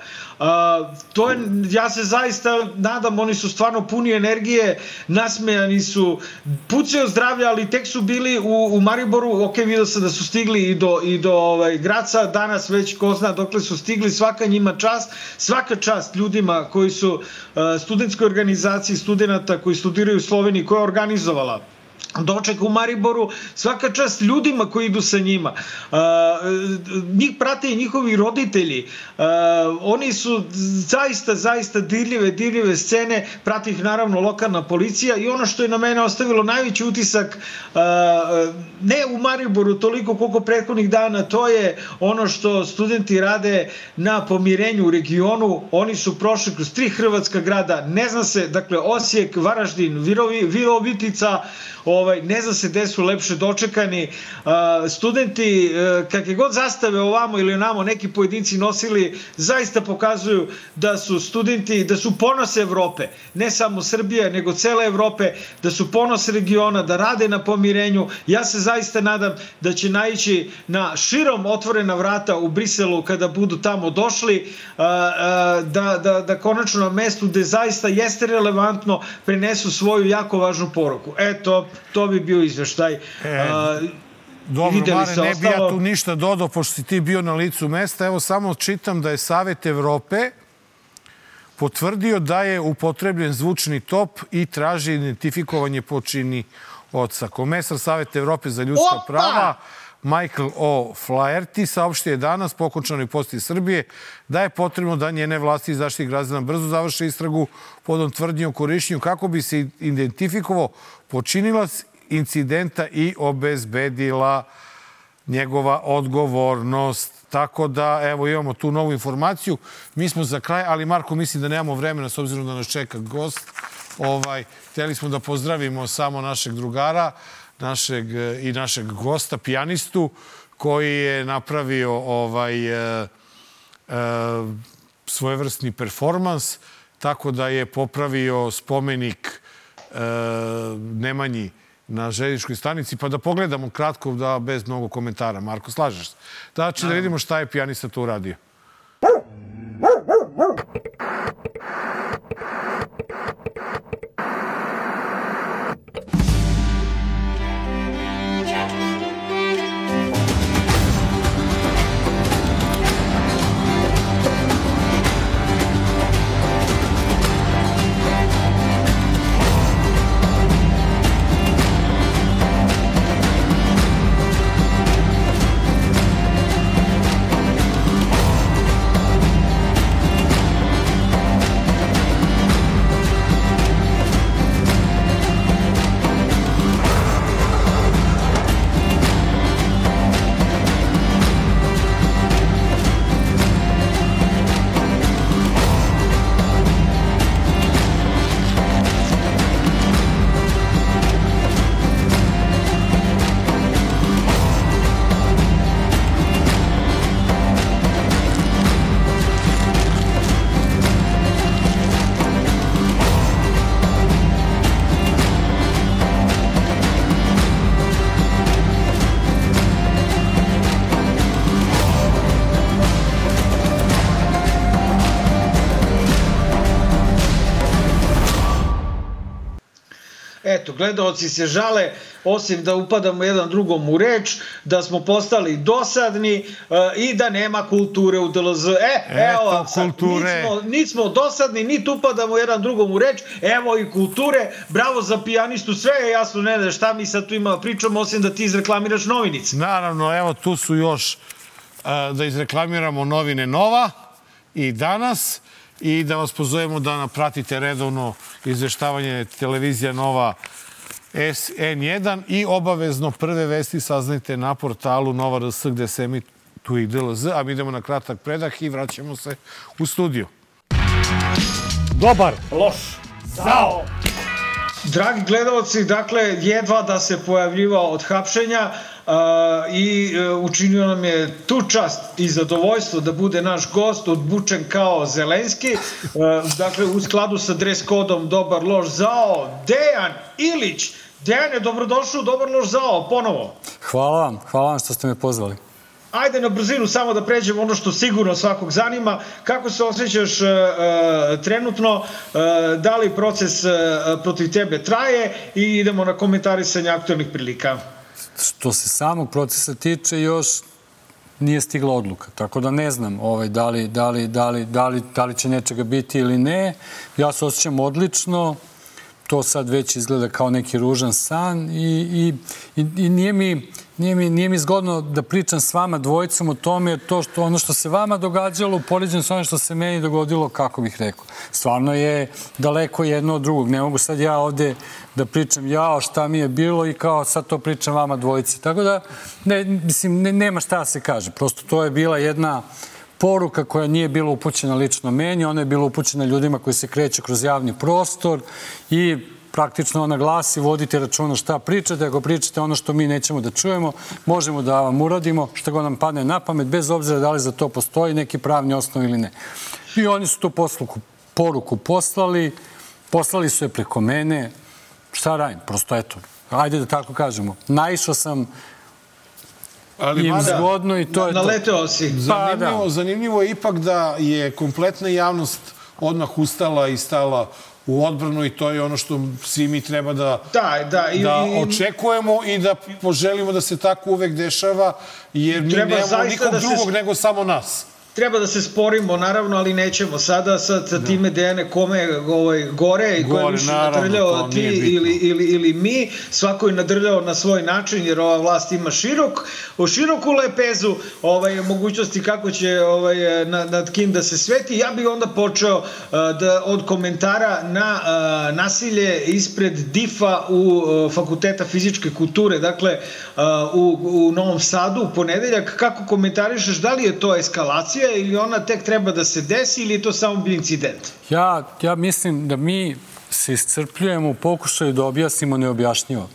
[SPEAKER 2] Ja se zaista nadam, oni su stvarno puni energije, nasmejani su, pucaju zdravlja, ali tek su bili u Mariboru. Ok, vidio sam da su stigli i do Graca, danas već ko zna dokle su stigli, svaka njima čast, svaka čast ljudima koji su studentskoj organizaciji studenta koji studiraju u Sloveniji, koja je organizovala doček u Mariboru, svaka čast ljudima koji idu sa njima. Njih prate i njihovi roditelji. Oni su zaista dirljive scene, prati ih naravno lokalna policija i ono što je na mene ostavilo najveći utisak, ne u Mariboru toliko koliko prethodnih dana, to je ono što studenti rade na pomirenju u regionu. Oni su prošli kroz 3 hrvatska grada, ne zna se, dakle Osijek, Varaždin, Virovitica, ne zna se gde su lepše dočekani. Studenti, kakve god zastave ovamo ili onamo neki pojedinci nosili, zaista pokazuju da su studenti, da su ponos Evrope, ne samo Srbije, nego cele Evrope, da su ponos regiona, da rade na pomirenju. Ja se zaista nadam da će naići na širom otvorena vrata u Briselu kada budu tamo došli, da konačno na mestu gde zaista jeste relevantno prenesu svoju jako važnu poruku. Eto, to bi bio izveštaj.
[SPEAKER 1] Dobro, Mare, ne bi ja tu ništa dodao, pošto si ti bio na licu mesta. Evo, samo čitam da je Savet Evrope potvrdio da je upotrebljen zvučni top i traži identifikovanje počinioca. Komesar Saveta Evrope za ljudska prava Michael O'Flaherty saopštio je danas po okončanoj poseti Srbije da je potrebno da njene vlasti i Zaštitnik građana brzo završe istragu podom tvrdnji o korišćenju kako bi se identifikovao počinilac incidenta i obezbedila njegova odgovornost. Tako da, evo, imamo tu novu informaciju. Mi smo za kraj, ali Marko, mislim da nemamo vremena s obzirom da nas čeka gost. Hteli smo da pozdravimo samo našeg drugara i našeg gosta, pijanistu, koji je napravio svojevrsni performans, tako da je popravio spomenik Nemanji na željezničkoj stanici, pa da pogledamo kratko, da bez mnogo komentara. Marko, slažeš se? Znači da vidimo šta je pijanista to uradio.
[SPEAKER 2] Eto, gledaoci se žale, osim da upadamo jedan drugom u reč, da smo postali dosadni i da nema kulture u DLZ. Evo, niti smo dosadni, niti upadamo jedan drugom u reč, evo i kulture, bravo za pijanistu, sve je jasno, ne da šta mi sad tu ima pričamo, osim da ti izreklamiraš novinice.
[SPEAKER 1] Naravno, evo tu su još da izreklamiramo novine Nova i Danas, i da vas pozovemo da pratite redovno izveštavanje televizija Nova N1 i obavezno prve vesti saznajte na portalu Nova RS gde se emituje i DLZ, a mi idemo na kratak predah i vraćamo se u studiju. Dobar, loš, zao!
[SPEAKER 2] Dragi gledalci, dakle, jedva da se pojavljivao od hapšenja i učinio nam je tu čast i zadovoljstvo da bude naš gost, odbučen kao Zelenski, dakle, u skladu sa dres kodom Dobar, loš, zao, Dejan Ilić. Dejane, dobrodošao, Dobar, loš, zao, ponovo.
[SPEAKER 6] Hvala vam što ste me pozvali.
[SPEAKER 2] Ajde na brzinu samo da pređemo ono što sigurno svakog zanima. Kako se osjećaš trenutno? Da li proces protiv tebe traje? I idemo na komentarisanje aktualnih prilika.
[SPEAKER 6] Što se samog procesa tiče, još nije stigla odluka. Tako da ne znam da li će nečega biti ili ne. Ja se osjećam odlično. To sad već izgleda kao neki ružan san i nije mi zgodno da pričam s vama dvojicom o tome, jer ono što se vama događalo upoređeno s ono što se meni dogodilo, kako bih rekao. Stvarno je daleko jedno od drugog. Ne mogu sad ja ovde da pričam šta mi je bilo i kao sad to pričam vama dvojici. Tako da, nema šta da se kaže. Prosto to je bila jedna poruka koja nije bila upućena lično meni, ona je bila upućena ljudima koji se kreću kroz javni prostor i praktično na glas i vodite računa šta pričate. Ako pričate ono što mi nećemo da čujemo, možemo da vam uradimo što god nam padne na pamet, bez obzira da li za to postoji neki pravni osnov ili ne. I oni su tu poruku poslali su je preko mene. Šta radim? Prosto eto, ajde da tako kažemo. Naišao sam im zgodno i to je to.
[SPEAKER 2] Naleteo si.
[SPEAKER 1] Zanimljivo je ipak da je kompletna javnost odmah ustala i stala u odbranu i to je ono što svi mi treba da očekujemo i da poželimo da se tako uvek dešava, jer mi nemamo nikog drugog nego samo nas.
[SPEAKER 2] Treba da se sporimo, naravno, ali nećemo. Sada sa time Dejane kome gore i ko je više nadrljao, ti ili mi. Svako je nadrljao na svoj način, jer ova vlast ima široku lepezu mogućnosti kako će nad kim da se sveti. Ja bih onda počeo od komentara na nasilje ispred DIF-a u Fakulteta fizičke kulture. Dakle, u Novom Sadu, u ponedeljak. Kako komentarišeš, da li je to eskalacija ili ona tek treba da se desi ili je to samo bio incident?
[SPEAKER 6] Ja mislim da mi se iscrpljujemo u pokušaju da objasnimo neobjašnjivo.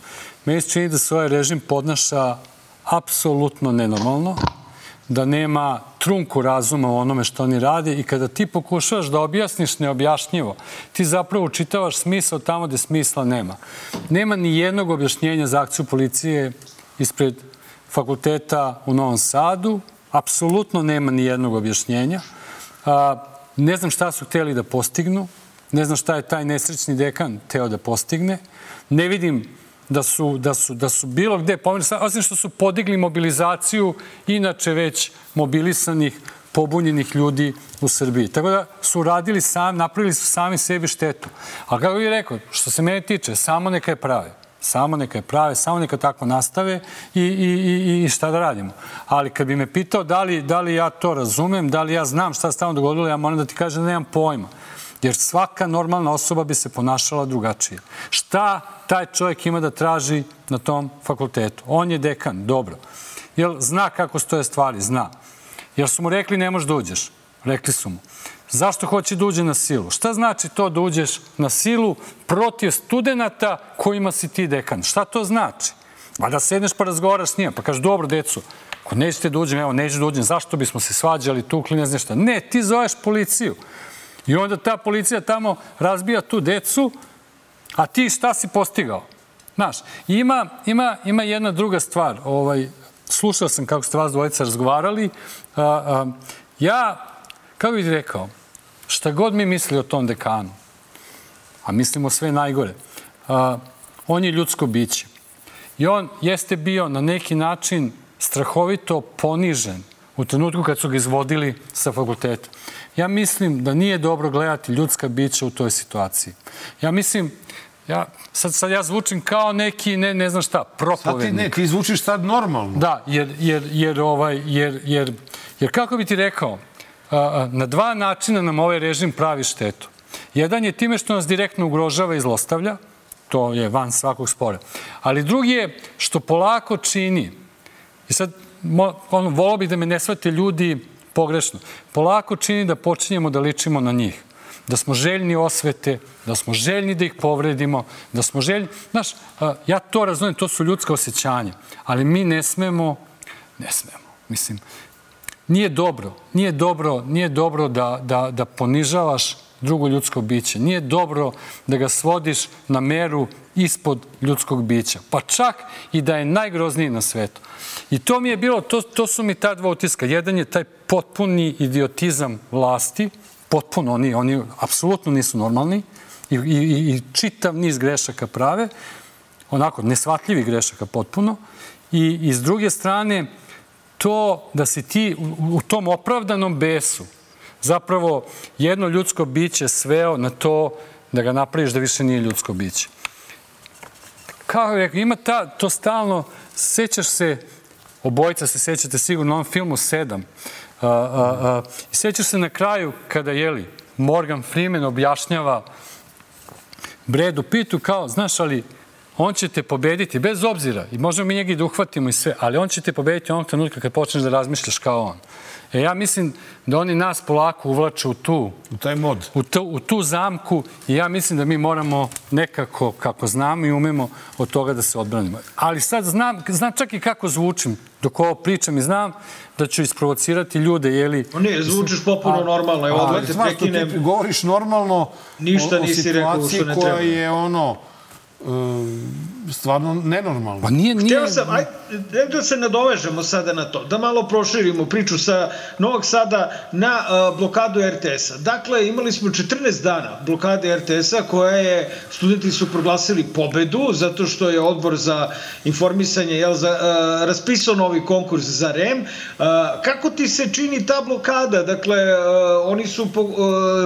[SPEAKER 6] Meni se čini da se ovaj režim podnaša apsolutno nenormalno, da nema trunku razuma u onome što oni rade i kada ti pokušavaš da objasniš neobjašnjivo, ti zapravo učitavaš smisao tamo gde smisla nema. Nema ni jednog objašnjenja za akciju policije ispred fakulteta u Novom Sadu. Apsolutno nema ni jednog objašnjenja. Ne znam šta su hteli da postignu. Ne znam šta je taj nesrećni dekan hteo da postigne. Ne vidim da su bilo gde pomenuti, osim što su podigli mobilizaciju inače već mobilisanih, pobunjenih ljudi u Srbiji. Tako da su radili napravili su sami sebi štetu. Ali kako bih rekao, što se mene tiče, samo neka je prave. Samo neka tako nastave i šta da radimo. Ali kad bi me pitao da li ja to razumem, da li ja znam šta se tamo dogodilo, ja moram da ti kažem da nemam pojma. Jer svaka normalna osoba bi se ponašala drugačije. Šta taj čovjek ima da traži na tom fakultetu? On je dekan, dobro. Jel zna kako stoje stvari? Zna. Jel su mu rekli ne možeš da uđeš? Rekli su mu. Zašto hoće da uđe na silu? Šta znači to da uđeš na silu protiv studenta kojima si ti dekan? Šta to znači? Pa da sedneš pa razgovaraš s njima, pa kažeš dobro decu, ako nećete da uđem, evo neću da uđem, zašto bismo se svađali, tukli, ne znam šta. Ne, ti zoveš policiju. I onda ta policija tamo razbija tu decu, a ti šta si postigao? Znaš, ima jedna druga stvar. Slušao sam kako ste vas dvojica razgovarali. Kako bih rekao, šta god mi misli o tom dekanu, a mislimo sve najgore, on je ljudsko biće. I on jeste bio na neki način strahovito ponižen u trenutku kad su ga izvodili sa fakulteta. Ja mislim da nije dobro gledati ljudska bića u toj situaciji. Ja mislim, sad ja zvučim kao neki, ne znam šta, propovednik.
[SPEAKER 1] Ti zvučiš sad normalno.
[SPEAKER 6] Da, jer kako bi ti rekao, na dva načina nam ovaj režim pravi štetu. Jedan je time što nas direktno ugrožava i zlostavlja, to je van svakog spora. Ali drugi je što polako čini, i sad volao bih da me ne shvate ljudi pogrešno, polako čini da počinjemo da ličimo na njih. Da smo željni osvete, da smo željni da ih povredimo, da smo željni... Znaš, ja to razumijem, to su ljudska osjećanja, ali mi ne smemo, mislim, nije dobro da ponižavaš drugo ljudsko biće. Nije dobro da ga svodiš na meru ispod ljudskog bića. Pa čak i da je najgrozniji na svetu. I to mi je bilo, to su mi ta dva utiska. Jedan je taj potpuni idiotizam vlasti, potpuno, oni apsolutno nisu normalni i čitav niz grešaka prave, onako, nesvatljivi grešaka potpuno. I s druge strane, to da si ti u tom opravdanom besu zapravo jedno ljudsko biće sveo na to da ga napraviš da više nije ljudsko biće. Kao je rekao, ima to stalno, sećaš se, obojica se sećate sigurno na onom filmu 7. Sećaš se na kraju kada, Morgan Freeman objašnjava Bradu Pittu kao, znaš, ali on će te pobediti, bez obzira, i možemo mi njega i da uhvatimo i sve, ali on će te pobediti onog trenutka kad počneš da razmišljaš kao on. Ja mislim da oni nas polako uvlaču
[SPEAKER 1] u taj mod.
[SPEAKER 6] U tu zamku i ja mislim da mi moramo nekako, kako znamo i umemo, od toga da se odbranimo. Ali sad znam čak i kako zvučim dok ovo pričam i znam da ću isprovocirati ljude, jeli...
[SPEAKER 2] Ne, zvučiš popuno normalno. Evo, odmah te prekinem.
[SPEAKER 1] Ti govoriš normalno
[SPEAKER 2] ništa nisi rekao što ne treba.
[SPEAKER 1] Koja je stvarno nenormalno.
[SPEAKER 6] Pa nije...
[SPEAKER 2] Htio sam, da se nadovežemo sada na to, da malo proširimo priču sa Novog Sada na blokadu RTS-a. Dakle, imali smo 14 dana blokade RTS-a studenti su proglasili pobedu, zato što je odbor za informisanje raspisao novi konkurs za REM. Kako ti se čini ta blokada? Dakle,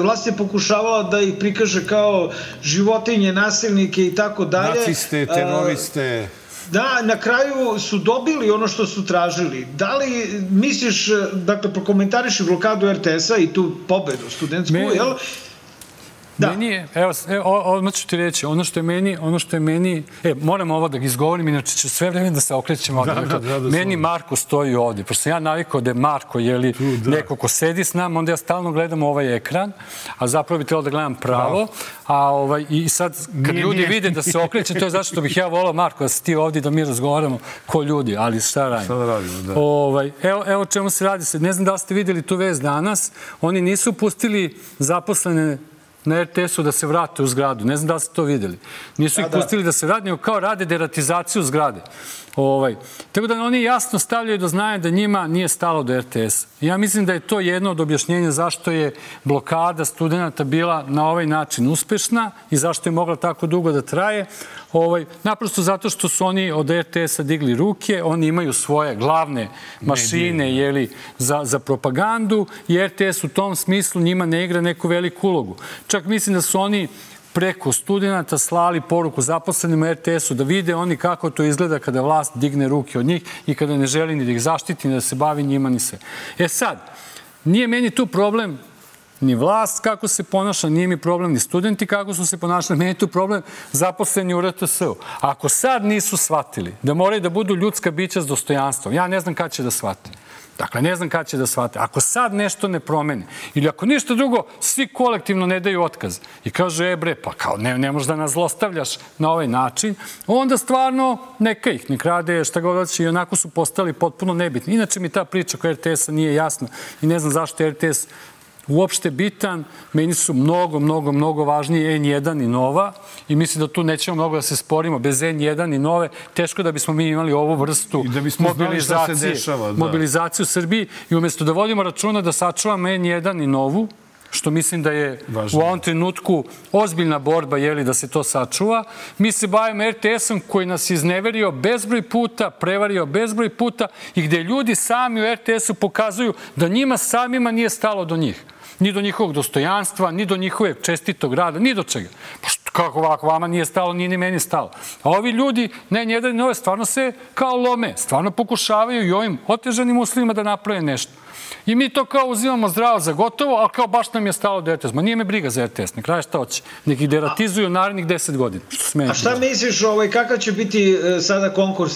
[SPEAKER 2] vlast je pokušavala da ih prikaže kao životinje, nasilnike i tako dalje.
[SPEAKER 1] Naciste, teroriste.
[SPEAKER 2] Da, na kraju su dobili ono što su tražili. Da li misliš, dakle, prokomentariši blokadu RTS-a i tu pobedu studentsku, jel?
[SPEAKER 6] Meni je, evo, odmah ću ti reći, ono što je meni, moram ovo da izgovorim, inače ću sve vreme da se okrećem ovdje. Meni Marko stoji ovdje, pošto sam ja navikao da je Marko, neko ko sedi s nama, onda ja stalno gledam ovaj ekran, a zapravo bi trebalo da gledam pravo, i sad, kad ljudi vide da se okrećem, to je zašto bih ja volao, Marko, da si ti ovdje, da mi razgovaramo ko ljudi, ali šta radimo? Evo čemu se radi. Ne znam da li ste vidjeli tu vest danas, oni nisu pustili zaposlene na RTS-u da se vrate u zgradu. Ne znam da li ste to vidjeli. Nisu ih pustili da se vrate, nego kao rade deratizaciju zgrade. Tako da oni jasno stavljaju do znanja da njima nije stalo do RTS. Ja mislim da je to jedno od objašnjenja zašto je blokada studenta bila na ovaj način uspešna i zašto je mogla tako dugo da traje. Naprosto zato što su oni od RTS-a digli ruke, oni imaju svoje glavne mašine za propagandu i RTS u tom smislu njima ne igra neku veliku ulogu. Čak mislim da su oni preko studenta slali poruku zaposlenima RTS-u da vide oni kako to izgleda kada vlast digne ruke od njih i kada ne želi ni da ih zaštiti, ni da se bavi njima, ni sve. Sad, nije meni tu problem ni vlast kako se ponaša, nije mi problem ni studenti kako su se ponašali, meni je tu problem zaposleni u RTS-u. Ako sad nisu shvatili da moraju da budu ljudska bića s dostojanstvom, ja ne znam kad će da shvate. Dakle, ne znam kada će da shvate. Ako sad nešto ne promeni, ili ako ništa drugo, svi kolektivno ne daju otkaz i kaže, pa kao ne možeš da nas zlostavljaš na ovaj način, onda stvarno neka ih, nek rade šta god hoće i onako su postali potpuno nebitni. Inače mi ta priča koja RTS-a nije jasna i ne znam zašto je RTS uopšte bitan. Meni su mnogo važniji N1 i Nova i mislim da tu nećemo mnogo da se sporimo. Bez N1 i Nove teško da bismo mi imali ovu vrstu mobilizacije u Srbiji i umjesto da vodimo računa da sačuvamo N1 i Novu, što mislim da je u ovom trenutku ozbiljna borba da se to sačuva. Mi se bavimo RTS-om koji nas izneverio bezbroj puta, prevario bezbroj puta i gde ljudi sami u RTS-u pokazuju da njima samima nije stalo do njih. Ni do njihovog dostojanstva, ni do njihovog čestitog rada, ni do čega. Kako ovako vama nije stalo, nije ni meni stalo. A ovi ljudi, N1 i Nove, stvarno se kao lome, stvarno pokušavaju i ovim otežanim uslovima da naprave nešto. I mi to kao uzimamo zdravo za gotovo, ali kao baš nam je stalo do RTS. Ma nije me briga za RTS, ne kraje šta hoće. Nek ih deratizuju narednih 10 godina.
[SPEAKER 2] A šta misliš, kakav će biti sada konkurs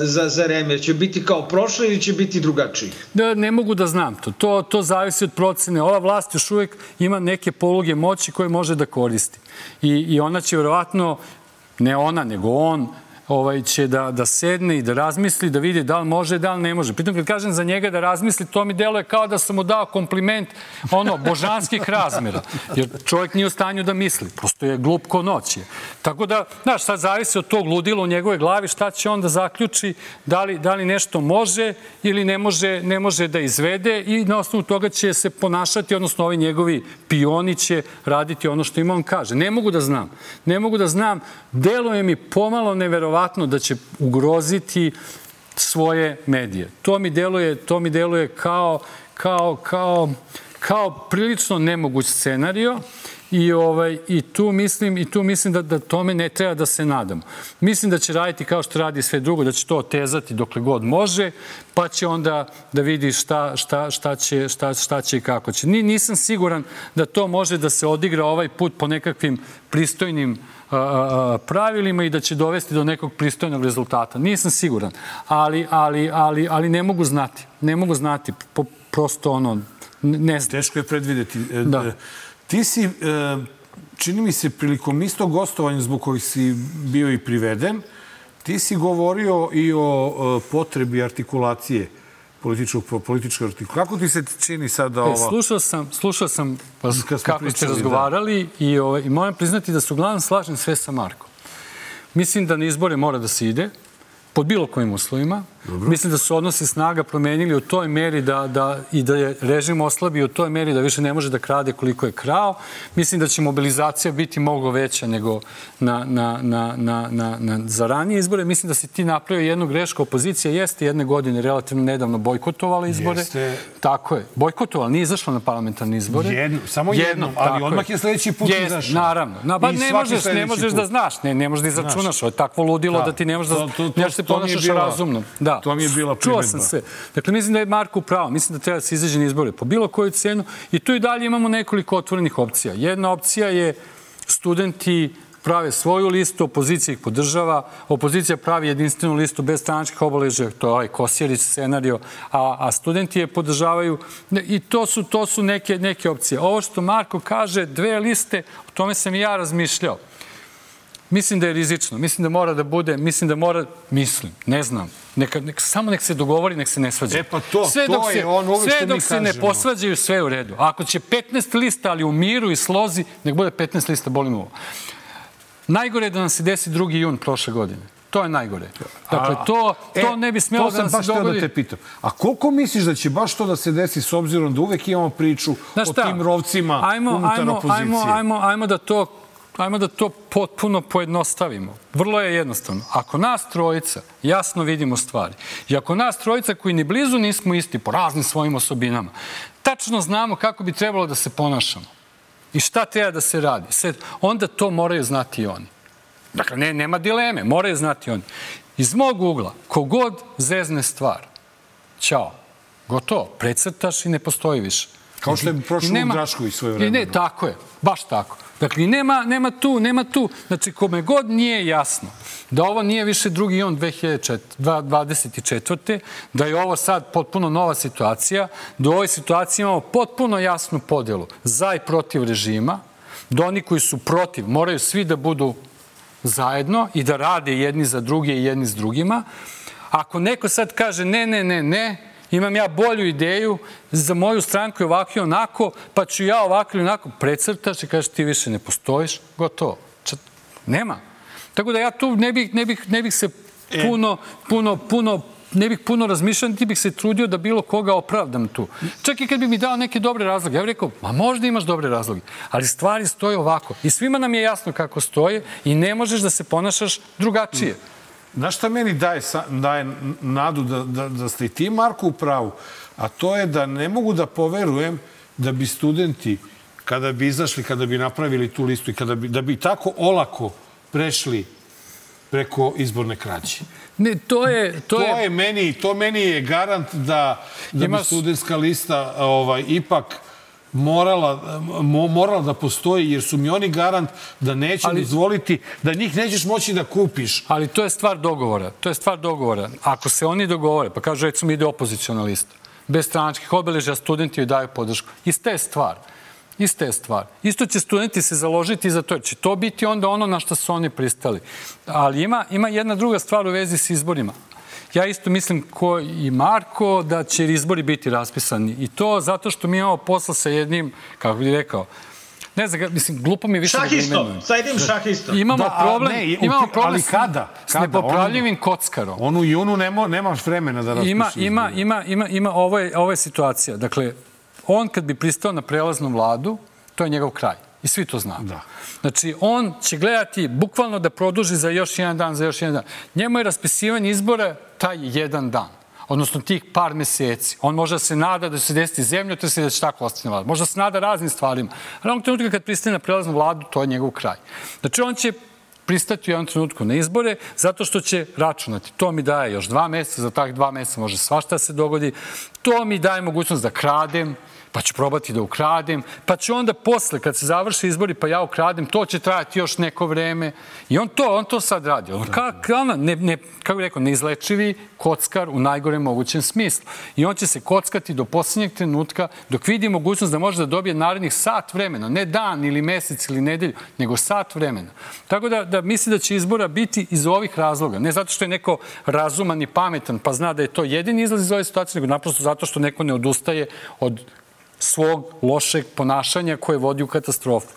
[SPEAKER 2] za REM? Će biti kao prošle ili će biti drugačiji?
[SPEAKER 6] Ne mogu da znam to. To zavisi od procene. Ova vlast još uvijek ima neke poluge moći koje može da koristi. I ona će vjerovatno, ne ona, nego on, će da sedne i da razmisli, da vidi da li može, da li ne može. Pritom kad kažem za njega da razmisli, to mi deluje kao da sam mu dao kompliment božanskih razmjera. Jer čovjek nije u stanju da misli. Prosto je glup ko noć. Tako da, znaš, sad zavisi od tog ludila u njegove glavi šta će on da zaključi, da li nešto može ili ne može da izvede i na osnovu toga će se ponašati, odnosno ovi njegovi pioni će raditi ono što im on kaže. Ne mogu da znam. Deluje mi pomalo neverovatno da će ugroziti svoje medije. To mi deluje kao prilično nemoguć scenario i tu mislim da tome ne treba da se nadamo. Mislim da će raditi kao što radi sve drugo, da će to otezati dokle god može, pa će onda da vidi šta će i kako će. Nisam siguran da to može da se odigra ovaj put po nekakvim pristojnim pravilima i da će dovesti do nekog pristojnog rezultata. Nisam siguran, ali ne mogu znati. Ne mogu znati, prosto ne znam.
[SPEAKER 1] Teško je predvideti. Da. Ti si, čini mi se, prilikom istog gostovanja zbog kojih si bio i priveden, ti si govorio i o potrebi artikulacije, političke artikulacije. Kako ti se čini sada ova...
[SPEAKER 6] Slušao sam kako ste razgovarali i moram priznati da se uglavnom slažem sve sa Markom. Mislim da na izbore mora da se ide, pod bilo kojim uslovima. Dobro. Mislim da su odnosi snaga promenili u toj meri i da je režim oslabio u toj meri da više ne može da krade koliko je krao. Mislim da će mobilizacija biti mnogo veća nego za ranije izbore. Mislim da si ti napravio jednu grešku. Opozicija jeste jedne godine relativno nedavno bojkotovala izbore. Jeste. Tako je. Bojkotovala, nije izašla na parlamentarne izbore.
[SPEAKER 1] Samo jednom, ali odmah je sledeći put izašao.
[SPEAKER 6] Naravno. Ne možeš da znaš, ne možeš da izračunaš. Ovo je takvo ludilo da ti ne možeš da se ponašaš razumno. Da.
[SPEAKER 1] To mi je bila primedba.
[SPEAKER 6] Čuo sam sve. Dakle, mislim da je Marko pravo. Mislim da treba da se izađe na izbore po bilo koju cenu. I tu i dalje imamo nekoliko otvorenih opcija. Jedna opcija je studenti prave svoju listu, opozicija ih podržava, opozicija pravi jedinstvenu listu bez stranačkih obeležja, to je ovaj Kosjerić scenario, a studenti je podržavaju i to su neke opcije. Ovo što Marko kaže, 2 liste, o tome sam i ja razmišljao. Mislim da je rizično, mislim da mora da bude, ne znam, samo nek se dogovori, nek se ne svađa.
[SPEAKER 1] Pa to je on uvek što mi kažemo.
[SPEAKER 6] Sve dok se ne posvađaju, sve je u redu. Ako će 15 lista, ali u miru i slozi, nek bude 15 lista, bolim ovo. Najgore je da nam se desi 2. jun prošle godine. To je najgore. Dakle, to ne bi smjelo da nam se dogodi. To sam baš teo da te pitam.
[SPEAKER 1] A koliko misliš da će baš to da se desi s obzirom da uvek imamo priču o tim rovcima unutar opozicije?
[SPEAKER 6] Ajmo da to potpuno pojednostavimo. Vrlo je jednostavno. Ako nas trojica jasno vidimo stvari i ako nas trojica koji ni blizu nismo isti po raznim svojim osobinama, tačno znamo kako bi trebalo da se ponašamo i šta treba da se radi, onda to moraju znati i oni. Dakle, nema dileme, moraju znati oni. Iz mog ugla, kogod zezne stvar, ćao, gotovo, precrtaš i ne postoji više.
[SPEAKER 1] Kao što je prošlo u Drašković svoje vreme.
[SPEAKER 6] Ne, tako je, baš tako. Dakle, nema tu. Znači, kome god nije jasno da ovo nije više 2. jun 2024. Da je ovo sad potpuno nova situacija, da u ovoj situaciji imamo potpuno jasnu podelu za i protiv režima, da oni koji su protiv moraju svi da budu zajedno i da rade jedni za druge i jedni s drugima. Ako neko sad kaže ne, imam ja bolju ideju, za moju stranku je ovako i onako, pa ću ja ovako ili onako, precrtaš i kažeš ti više ne postojiš, gotovo. Nema. Tako da ja tu ne bih se puno razmišljao, ti bih se trudio da bilo koga opravdam tu. Čak i kad bi mi dao neke dobre razloge, ja bih rekao, možda imaš dobre razloge, ali stvari stoje ovako. I svima nam je jasno kako stoje i ne možeš da se ponašaš drugačije.
[SPEAKER 1] Znaš šta meni daje nadu da ste i ti, Marko, u pravu? A to je da ne mogu da poverujem da bi studenti, kada bi izašli, kada bi napravili tu listu i da bi tako olako prešli preko izborne krađe.
[SPEAKER 6] Ne,
[SPEAKER 1] to meni je garant da bi studentska lista ipak morala da postoji, jer su mi oni garant da neće dozvoliti, da njih nećeš moći da kupiš.
[SPEAKER 6] Ali to je stvar dogovora. Ako se oni dogovore, pa kažu, recimo, ide opoziciona lista, bez stranačkih obeležja, studenti joj daju podršku. Ista je stvar. Isto će studenti se založiti za to, jer će to biti onda ono na što su oni pristali. Ali ima jedna druga stvar u vezi s izborima. Ja isto mislim, ko i Marko, da će izbori biti raspisani. I to zato što mi imamo posla sa jednim, kako bih rekao, ne znam, mislim, glupo mi je više da ga imenujem.
[SPEAKER 2] Sa jednim šahistom.
[SPEAKER 6] Imamo problem s nepopravljivim kockarom.
[SPEAKER 1] On u junu nemaš vremena da raspišu
[SPEAKER 6] izbori. Ovo je situacija. Dakle, on kad bi pristao na prelaznu vladu, to je njegov kraj. I svi to znamo. Znači, on će gledati bukvalno da produži za još jedan dan. Njemu je raspisivanje izbora taj jedan dan. odnosno tih par meseci. On može da se nada da će se desiti zemljotres i da će tako ostati na vladu. Možda se nada raznim stvarima. Ali onog trenutka kad pristane na prelaznu vladu, to je njegov kraj. Znači, on će pristati u jednom trenutku na izbore zato što će računati. To mi daje još 2 meseca, za tak 2 meseca može svašta se dogodi. To mi daje mogućnost da kradem, pa ću probati da ukradem, pa ću onda posle, kad se završe izbori, pa ja ukradem, to će trajati još neko vreme. I on to sad radi. Kako bih rekao, neizlečivi kockar u najgorem mogućem smislu. I on će se kockati do posljednjeg trenutka dok vidi mogućnost da može da dobije narednih sat vremena, ne dan ili mesec ili nedelju, nego sat vremena. Tako da misli da će izbora biti iz ovih razloga. Ne zato što je neko razuman i pametan, pa zna da je to jedini izlaz iz ove situacije, nego naprosto zato što neko ne odustaje od svog lošeg ponašanja koje vodi u katastrofu.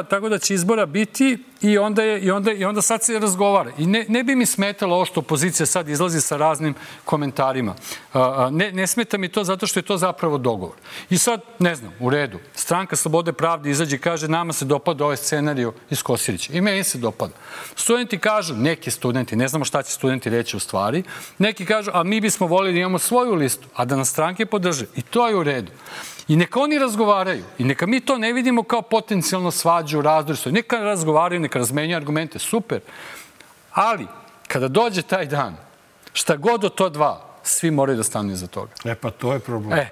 [SPEAKER 6] Tako da će izbora biti i onda sad se razgovara. I ne bi mi smetalo ovo što opozicija sad izlazi sa raznim komentarima. Ne smeta mi to zato što je to zapravo dogovor. I sad, ne znam, u redu. Stranka Slobode pravde izađe i kaže nama se dopada ovaj scenariju iz Kosirića. I meni se dopada. Studenti kažu, neki studenti, ne znamo šta će studenti reći u stvari, neki kažu, a mi bismo volili da imamo svoju listu, a da nas stranke podrže. I to je u redu. I neka oni razgovaraju. I neka mi to ne vidimo kao potencijalno svađu, razdor. Neka razgovaraju, neka razmenjuju argumente. Super. Ali, kada dođe taj dan, šta god od to dva, svi moraju da stanu iza toga.
[SPEAKER 1] Pa to je problem.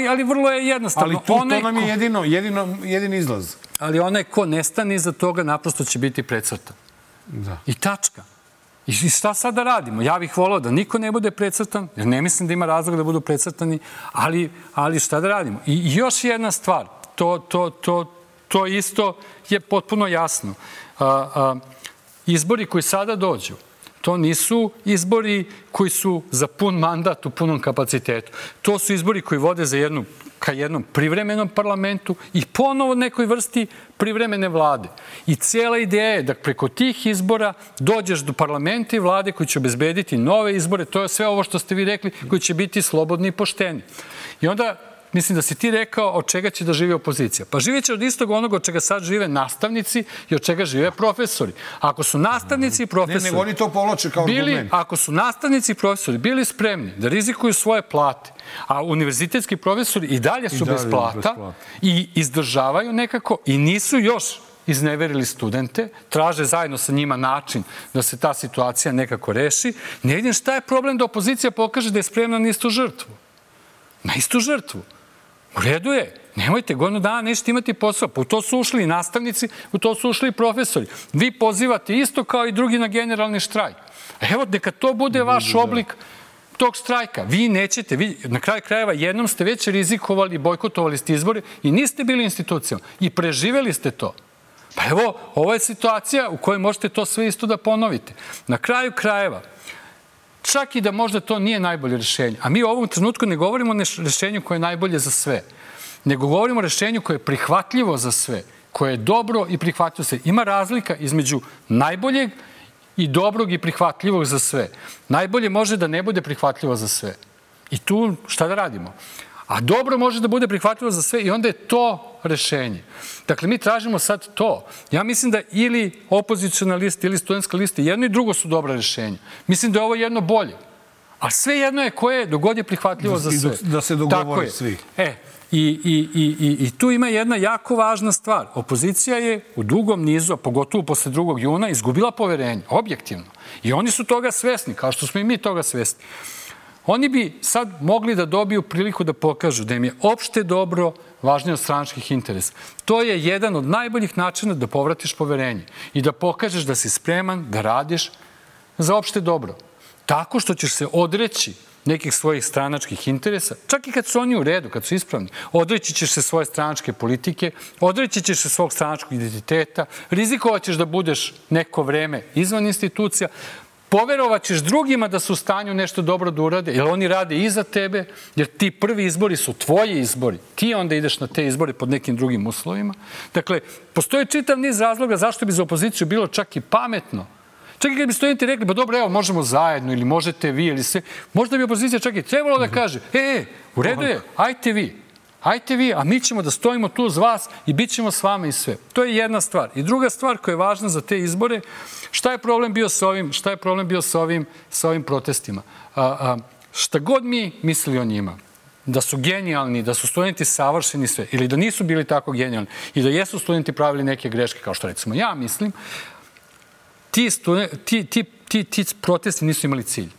[SPEAKER 6] Ali vrlo je jednostavno.
[SPEAKER 1] Ali to nam je jedini izlaz.
[SPEAKER 6] Ali onaj ko ne stane iza toga, naprosto će biti precrtan.
[SPEAKER 1] Da.
[SPEAKER 6] I tačka. I šta sad da radimo? Ja bih volao da niko ne bude precrtan, jer ne mislim da ima razlog da budu precrtani, ali šta da radimo? I još jedna stvar, to isto je potpuno jasno. Izbori koji sada dođu, to nisu izbori koji su za pun mandat u punom kapacitetu. To su izbori koji vode ka jednom privremenom parlamentu i ponovo nekoj vrsti privremene vlade. I cijela ideja je da preko tih izbora dođeš do parlamenta i vlade koji će obezbediti nove izbore. To je sve ovo što ste vi rekli, koji će biti slobodni i pošteni. I onda mislim da si ti rekao od čega će da živi opozicija. Pa živjet će od istog onoga od čega sad žive nastavnici i od čega žive profesori. Ako su nastavnici i profesori...
[SPEAKER 1] Ne, oni to povlače kao argument.
[SPEAKER 6] Ako su nastavnici i profesori bili spremni da rizikuju svoje plate, a univerzitetski profesori i dalje su bez plata i izdržavaju nekako i nisu još izneverili studente, traže zajedno sa njima način da se ta situacija nekako reši, ne vidim šta je problem da opozicija pokaže da je spremna na istu žrtvu. Na istu žrtvu. U redu je. Nemojte, godinu dana nećete imati posao. Pa u to su ušli i nastavnici, u to su ušli i profesori. Vi pozivate isto kao i drugi na generalni štrajk. Evo, neka to bude vaš oblik tog štrajka. Vi nećete, na kraju krajeva jednom ste već rizikovali, bojkotovali ste izbore i niste bili institucijom. I preživeli ste to. Pa evo, ovo je situacija u kojoj možete to sve isto da ponovite. Na kraju krajeva, čak i da možda to nije najbolje rešenje. A mi u ovom trenutku ne govorimo o rešenju koje je najbolje za sve, nego govorimo o rešenju koje je prihvatljivo za sve, koje je dobro i prihvatljivo za sve. Ima razlika između najboljeg i dobrog i prihvatljivog za sve. Najbolje može da ne bude prihvatljivo za sve. I tu šta da radimo? A dobro može da bude prihvatljivo za sve i onda je to rešenje. Dakle, mi tražimo sad to. Ja mislim da ili opoziciona lista ili studentska lista, jedno i drugo su dobra rešenja. Mislim da je ovo jedno bolje. A sve jedno je koje dogod je prihvatljivo za sve.
[SPEAKER 1] Da se dogovore svi.
[SPEAKER 6] I tu ima jedna jako važna stvar. Opozicija je u dugom nizu, a pogotovo posle 2. juna, izgubila poverenje, objektivno. I oni su toga svesni, kao što smo i mi toga svesni. Oni bi sad mogli da dobiju priliku da pokažu da im je opšte dobro važnije od stranačkih interesa. To je jedan od najboljih načina da povratiš poverenje i da pokažeš da si spreman da radiš za opšte dobro. Tako što ćeš se odreći nekih svojih stranačkih interesa, čak i kad su oni u redu, kad su ispravni, odreći ćeš se svoje stranačke politike, odreći ćeš se svog stranačkog identiteta, rizikovat ćeš da budeš neko vreme izvan institucija, poverovat ćeš drugima da su u stanju nešto dobro da urade, jer oni rade iza tebe, jer ti prvi izbori su tvoji izbori. Ti onda ideš na te izbore pod nekim drugim uslovima. Dakle, postoji čitav niz razloga zašto bi za opoziciju bilo čak i pametno. Čak i kad bi studenti rekli, pa dobro, evo, možemo zajedno, ili možete vi, ili sve, možda bi opozicija čak i trebalo da kaže, u redu je, ajte vi. Ajte vi, a mi ćemo da stojimo tu uz vas i bit ćemo s vama i sve. To je jedna stvar. I druga stvar koja je važna za te izbore, šta je problem bio sa ovim protestima? Šta god mi mislili o njima, da su genijalni, da su studenti savršeni sve, ili da nisu bili tako genijalni i da jesu studenti pravili neke greške, kao što recimo ja mislim, ti protesti nisu imali cilj.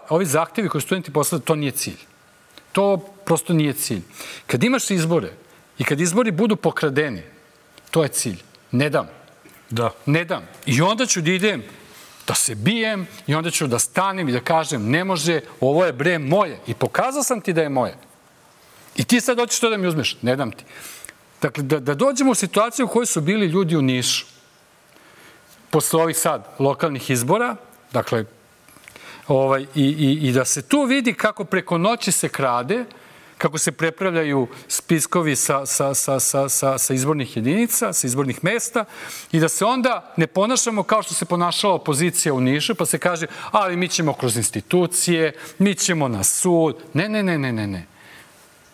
[SPEAKER 6] Ovi zahtevi koje studenti poslali, to nije cilj. To prosto nije cilj. Kad imaš izbore i kad izbori budu pokradeni, to je cilj. Ne dam.
[SPEAKER 1] Da.
[SPEAKER 6] Ne dam. I onda ću da idem, da se bijem i onda ću da stanem i da kažem ne može, ovo je bre moje. I pokazao sam ti da je moje. I ti sad hoćeš to da mi uzmeš. Ne dam ti. Dakle, da dođemo u situaciju u kojoj su bili ljudi u Nišu. Posle ovih sad lokalnih izbora, dakle, i da se tu vidi kako preko noći se krade, kako se prepravljaju spiskovi sa izbornih jedinica, sa izbornih mesta i da se onda ne ponašamo kao što se ponašala opozicija u Nišu, pa se kaže, ali mi ćemo kroz institucije, mi ćemo na sud. Ne.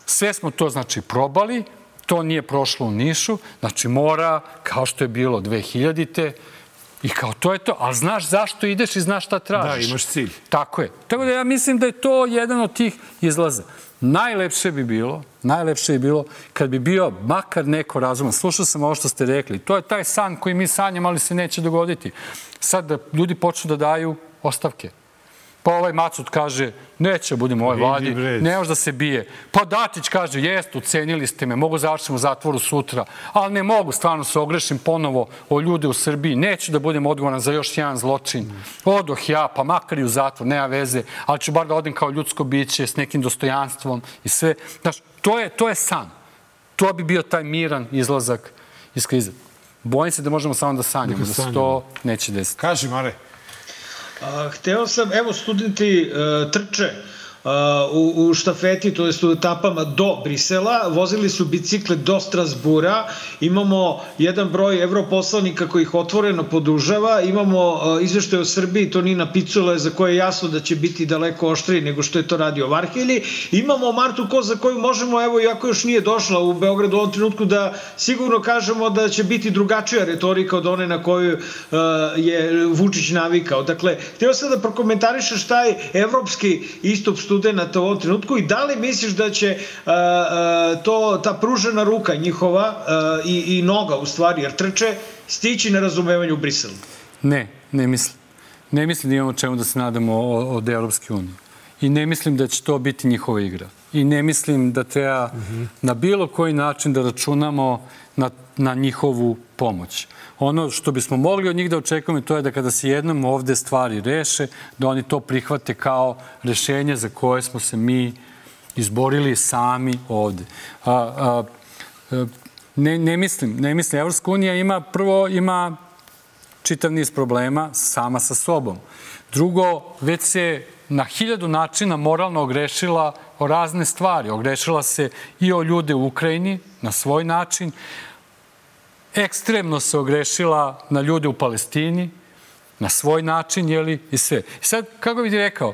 [SPEAKER 6] Sve smo to, znači, probali, to nije prošlo u Nišu, znači mora, kao što je bilo 2000-te, i kao to je to, ali znaš zašto ideš i znaš šta tražiš.
[SPEAKER 1] Da, imaš cilj.
[SPEAKER 6] Tako je. Tako da ja mislim da je to jedan od tih izlaza. Najlepše bi bilo kad bi bio makar neko razuman. Slušao sam ovo što ste rekli. To je taj san koji mi sanjamo, ali se neće dogoditi. Sad da ljudi počnu da daju ostavke. Pa ovaj Macut kaže, neće budemo u ovoj vladi, ne može da se bije. Pa Dačić kaže, jest, ucenili ste me, mogu završiti u zatvoru sutra, ali ne mogu, stvarno se ogrešim ponovo o ljude u Srbiji, neću da budem odgovoran za još jedan zločin. Odoh ja, pa makar i u zatvor, nema veze, ali ću bar da odem kao ljudsko biće s nekim dostojanstvom i sve. Znaš, to je san. To bi bio taj miran izlazak iz krize. Bojim se da možemo samo da sanjamo, da se to neće desiti.
[SPEAKER 1] Kaži, Mare.
[SPEAKER 2] Hteo sam, evo, studenti trče u štafeti, to jest u etapama do Brisela, vozili su bicikle do Strasbura, imamo jedan broj evroposlanika koji ih otvoreno podržava, imamo izveštaj o Srbiji Tonina Picule za koje je jasno da će biti daleko oštriji nego što je to radio Varhelji, imamo Martu Koz za koju možemo, evo, iako još nije došla u Beogradu u ovom trenutku, da sigurno kažemo da će biti drugačija retorika od one na koju je Vučić navikao. Dakle, hteo sam da prokomentarišeš taj evropski istup studenta u ovom trenutku i da li misliš da će ta pružena ruka njihova i noga, u stvari, jer trče, stići na razumevanju u Briselu?
[SPEAKER 6] Ne mislim. Ne mislim da imamo čemu da se nadamo od Evropske unije. I ne mislim da će to biti njihova igra. I ne mislim da treba na bilo koji način da računamo na njihovu pomoć. Ono što bismo mogli od njih da očekujemo to je da kada se jednom ovde stvari reše, da oni to prihvate kao rešenje za koje smo se mi izborili sami ovde. Ne mislim. Evropska unija ima čitav niz problema sama sa sobom. Drugo, već se na 1000 načina moralno ogrešila o razne stvari. Ogrešila se i o ljude u Ukrajini na svoj način. Ekstremno se ogrešila na ljude u Palestini, na svoj način, jeli, i sve. I sad, kako bih ti rekao,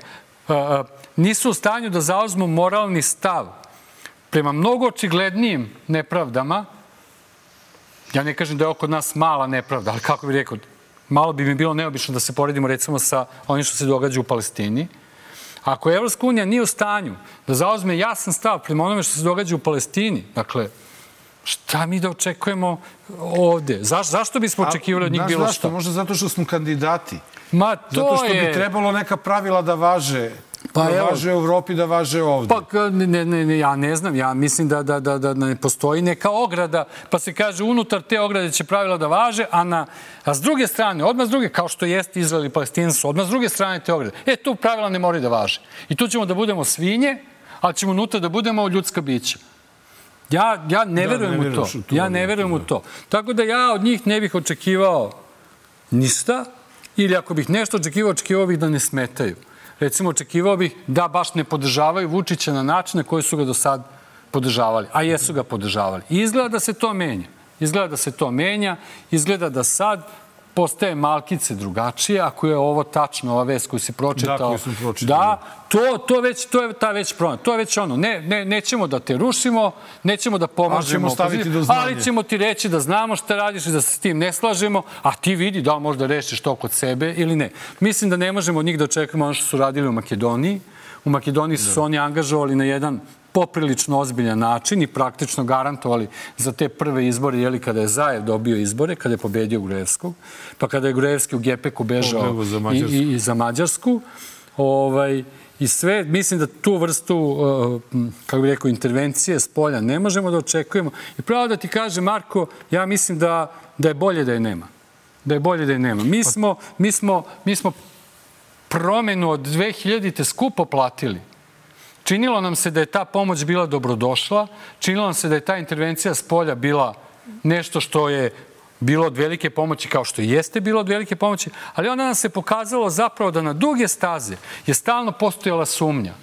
[SPEAKER 6] nisu u stanju da zauzmu moralni stav prema mnogo očiglednijim nepravdama. Ja ne kažem da je oko nas mala nepravda, ali kako bih rekao, malo bi mi bilo neobično da se poredimo recimo sa onim što se događa u Palestini. Ako Evropska unija nije u stanju da zauzme jasan stav prema onome što se događa u Palestini, dakle, šta mi da očekujemo ovde? Zašto bismo očekivali od njih bilo šta?
[SPEAKER 1] Možda zato što smo kandidati.
[SPEAKER 6] Zato
[SPEAKER 1] što bi trebalo neka pravila da važe. Da važe u Evropi, da važe ovde.
[SPEAKER 6] Pa, ja ne znam. Ja mislim da ne postoji neka ograda, pa se kaže unutar te ograde će pravila da važe, a s druge strane, odmah s druge, kao što jeste Izrael i Palestina su, odmah s druge strane te ograde. Tu pravila ne moraju da važe. I tu ćemo da budemo svinje, ali ćemo unutra da budemo ljudska bića. Ja ne verujem u to. Ja ne verujem u to. Tako da ja od njih ne bih očekivao ništa, ili ako bih nešto očekivao bih da ne smetaju. Recimo, očekivao bih da baš ne podržavaju Vučića na način na koji su ga do sad podržavali. A jesu ga podržavali. I izgleda da se to menja. Izgleda da sad postaje malkice drugačije, ako je ovo tačno, ova vest koju si pročitao.
[SPEAKER 1] Da, koju sam pročitao.
[SPEAKER 6] Da, to je ta već promena. To je već ono, nećemo da te rušimo, nećemo da pomažemo opoziciji, ali ćemo ti reći da znamo šta radiš i da se s tim ne slažemo, a ti vidi da li možda rešiš to kod sebe ili ne. Mislim da ne možemo od njih da očekujemo ono što su radili u Makedoniji. U Makedoniji su oni angažovali na jedan poprilično ozbiljan način i praktično garantovali za te prve izbore, kada je Zajev dobio izbore, kada je pobedio Gruevskog, pa kada je Gruevski u Gepeku bežao i za Mađarsku. I sve, mislim da tu vrstu, kako bih rekao, intervencije s polja ne možemo da očekujemo. I pravo da ti kaže, Marko, ja mislim da je bolje da je nema. Da je bolje da je nema. Mi smo promenu od 2000-te skupo platili. Činilo nam se da je ta pomoć bila dobrodošla, činilo nam se da je ta intervencija s polja bila nešto što je bilo od velike pomoći, kao što i jeste bilo od velike pomoći, ali onda nam se pokazalo zapravo da na duge staze je stalno postojala sumnja.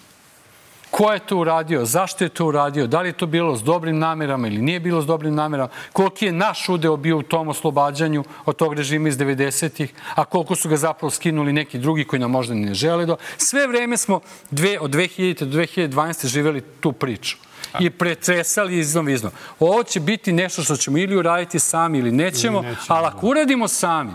[SPEAKER 6] Ko je to uradio? Zašto je to uradio? Da li je to bilo s dobrim namerama ili nije bilo s dobrim namerama? Koliki je naš udeo bio u tom oslobađanju od tog režima iz 90-ih, a koliko su ga zapravo skinuli neki drugi koji nam možda ne žele da... Sve vreme smo od 2000. do 2012. živeli tu priču i pretresali iznov. Ovo će biti nešto što ćemo ili uraditi sami ili nećemo, ali ako uradimo sami,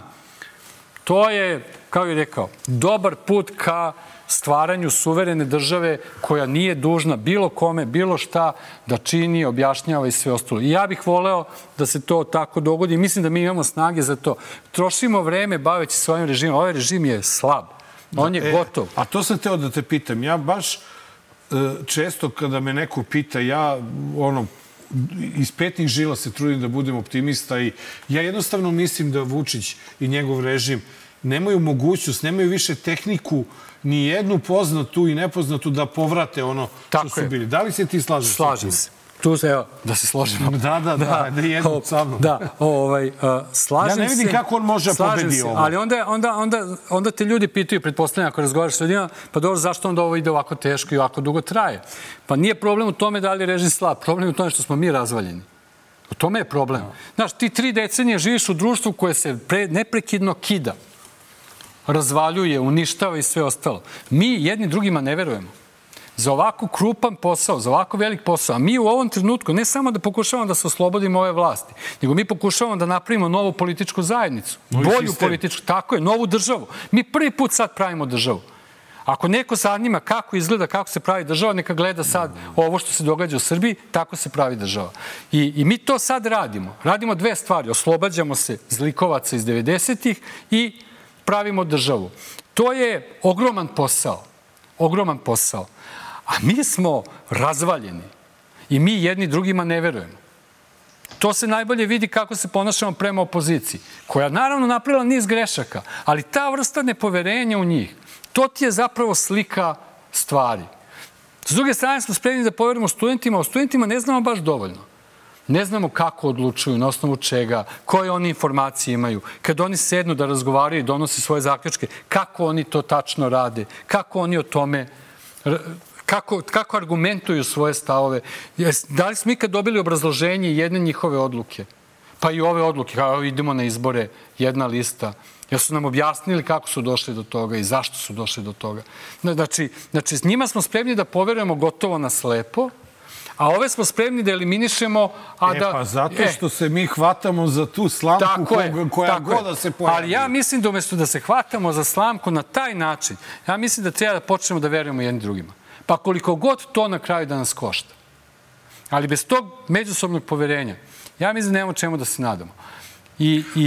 [SPEAKER 6] to je, kao je rekao, dobar put ka stvaranju suverene države koja nije dužna bilo kome, bilo šta da čini, objašnjava i sve ostalo. I ja bih voleo da se to tako dogodi. Mislim da mi imamo snage za to. Trošimo vreme baveći se ovim režimom. Ovaj režim je slab. On je gotov.
[SPEAKER 1] A to sam teo da te pitam. Ja baš često kada me neko pita, ja iz petnih žila se trudim da budem optimista i ja jednostavno mislim da Vučić i njegov režim nemaju mogućnost, nemaju više tehniku ni jednu poznatu i nepoznatu da povrate ono što su bili. Da li se ti slažeš?
[SPEAKER 6] Slažem se. Tu se, evo, da se složimo.
[SPEAKER 1] Da jedno sa mnom.
[SPEAKER 6] Slažem se.
[SPEAKER 1] Ja ne vidim kako on može pobedi ovo.
[SPEAKER 6] Ali onda te ljudi pitaju, pretpostavljam, ako razgovaraš s ljudima, pa dobro, zašto onda ovo ide ovako teško i ovako dugo traje? Pa nije problem u tome da li je režim slab, problem je u tome što smo mi razvaljeni. U tome je problem. Znaš, ti 3 decenije živiš u društvu koje se neprekidno kida, razvaljuje, uništava i sve ostalo. Mi jedni drugima ne verujemo. Za ovako krupan posao, za ovako velik posao, a mi u ovom trenutku ne samo da pokušavamo da se oslobodimo ove vlasti, nego mi pokušavamo da napravimo novu političku zajednicu. Bolju političku, tako je, novu državu. Mi prvi put sad pravimo državu. Ako neko zanima kako izgleda, kako se pravi država, neka gleda sad ovo što se događa u Srbiji, tako se pravi država. I mi to sad radimo. Radimo 2 stvari. Oslobađamo se zlikovaca iz 90-ih i pravimo državu. To je ogroman posao. Ogroman posao. A mi smo razvaljeni i mi jedni drugima ne verujemo. To se najbolje vidi kako se ponašamo prema opoziciji, koja naravno napravila niz grešaka, ali ta vrsta nepoverenja u njih, to ti je zapravo slika stvari. S druge strane smo spremni da poverujemo studentima, a o studentima ne znamo baš dovoljno. Ne znamo kako odlučuju, na osnovu čega, koje oni informacije imaju. Kad oni sednu da razgovaraju i donose svoje zaključke, kako oni to tačno rade, kako oni o tome, kako argumentuju svoje stavove. Da li smo ikad dobili obrazloženje jedne njihove odluke? Pa i ove odluke, kao idemo na izbore, jedna lista. Jer su nam objasnili kako su došli do toga i zašto su došli do toga. Znači, s njima smo spremni da poverujemo gotovo na slepo, a ove smo spremni da eliminišemo,
[SPEAKER 1] pa zato što se mi hvatamo za tu slamku koja god da se pojavi.
[SPEAKER 6] Ali ja mislim da umjesto da se hvatamo za slamku na taj način, ja mislim da treba da počnemo da verujemo jedni drugima. Pa koliko god to na kraju da nas košta. Ali bez tog međusobnog poverenja, ja mislim da nemamo čemu da se nadamo.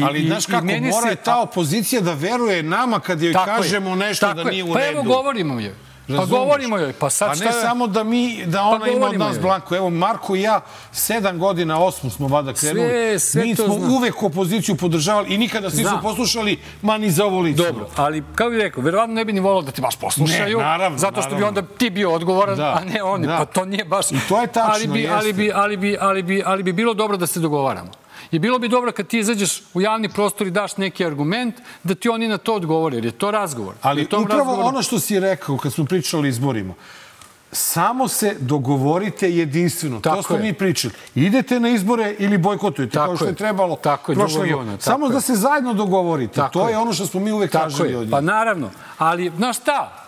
[SPEAKER 1] Ali znaš kako, mora je ta opozicija da veruje nama kad joj kažemo nešto da nije u redu.
[SPEAKER 6] Pa evo govorimo joj. Pa govorimo joj.
[SPEAKER 1] A ne samo da ona ima od nas blanko. Evo, Marko i ja 7 godina, 8 smo vada krenuli. Mi smo uvek opoziciju podržavali i nikada se nisu poslušali, ma ni za ovo lično.
[SPEAKER 6] Dobro, ali kao bih rekao, verovatno ne bi ni volao da te baš poslušaju.
[SPEAKER 1] Ne, naravno.
[SPEAKER 6] Zato što bi onda ti bio odgovoran, a ne oni. Pa to nije baš...
[SPEAKER 1] I to je tačno, jeste.
[SPEAKER 6] Ali bi bilo dobro da se dogovaramo. I bilo bi dobro kad ti izađeš u javni prostor i daš neki argument, da ti oni na to odgovore, jer je to razgovor.
[SPEAKER 1] Ali upravo ono što si rekao kad smo pričali o izborima, samo se dogovorite jedinstveno. To smo mi pričali. Idete na izbore ili bojkotujete, kao što je trebalo prošle godine. Samo da se zajedno dogovorite. To je ono što smo mi uvek tražili od njih.
[SPEAKER 6] Pa naravno, ali znaš šta?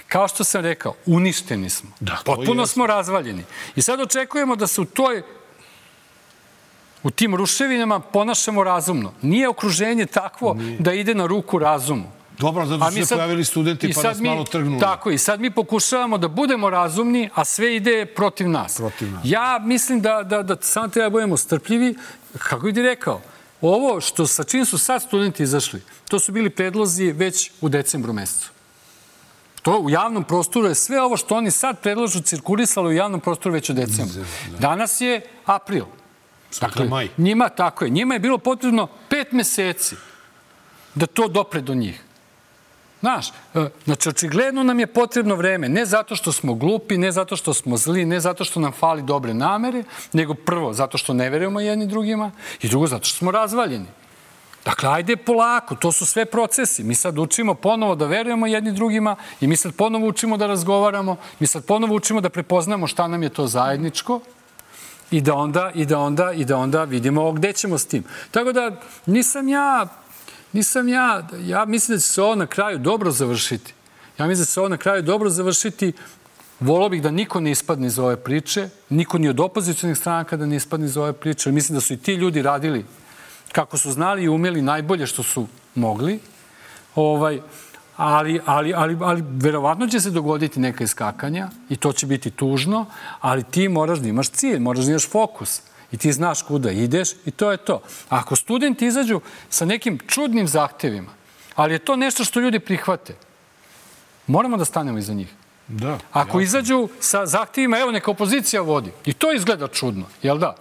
[SPEAKER 6] Kao što sam rekao, uništeni smo. Potpuno smo razvaljeni. I sad očekujemo da se u tim ruševinama ponašamo razumno. Nije okruženje takvo da ide na ruku razumu.
[SPEAKER 1] Dobro, zato su se pojavili studenti pa nas malo trgnuli.
[SPEAKER 6] Tako, i sad mi pokušavamo da budemo razumni, a sve ide protiv nas. Ja mislim da samo treba budemo strpljivi. Kako bi ti rekao, ovo sa čim su sad studenti izašli, to su bili predlozi već u decembru mesecu. To u javnom prostoru je sve ovo što oni sad predlažu cirkulisalo u javnom prostoru već u decembru. Danas je april.
[SPEAKER 1] Dakle, maj.
[SPEAKER 6] Njima je bilo potrebno 5 meseci da to dopre do njih. Znaš, znači, očigledno nam je potrebno vreme, ne zato što smo glupi, ne zato što smo zli, ne zato što nam fali dobre namere, nego prvo, zato što ne verujemo jedni drugima i drugo, zato što smo razvaljeni. Dakle, ajde polako, to su sve procesi. Mi sad učimo ponovo da verujemo jedni drugima i mi sad ponovo učimo da razgovaramo, mi sad ponovo učimo da prepoznamo šta nam je to zajedničko i da onda vidimo gde ćemo s tim. Tako da, ja mislim da će se ovo na kraju dobro završiti. Volao bih da niko ne ispadne iz ove priče, niko ni od opozicionih stranaka da ne ispadne iz ove priče. Mislim da su i ti ljudi radili kako su znali i umeli najbolje što su mogli. Ali verovatno će se dogoditi neka iskakanja i to će biti tužno, ali ti moraš da imaš cilj, moraš da imaš fokus. I ti znaš kuda ideš i to je to. Ako studenti izađu sa nekim čudnim zahtevima, ali je to nešto što ljudi prihvate, moramo da stanemo iza njih. Ako izađu sa zahtevima, evo neka opozicija vodi, i to izgleda čudno, jel da?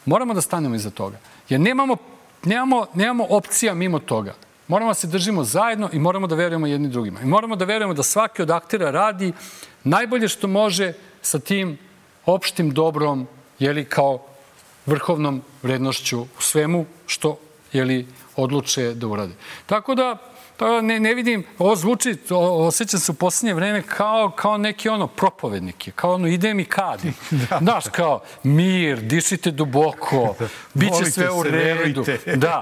[SPEAKER 6] Moramo da stanemo iza toga. Jer nemamo opcija mimo toga. Moramo da se držimo zajedno i moramo da verujemo jedni drugima. I moramo da verujemo da svaki od aktera radi najbolje što može sa tim opštim dobrom, kao vrhovnom vrednošću u svemu što odluče da urade. Tako da ne vidim, ovo zvuči, osjećam se u posljednje vreme kao neki propovednik, kao ide mi kadi. Znaš, kao mir, dišite duboko, bit će sve u redu. Da,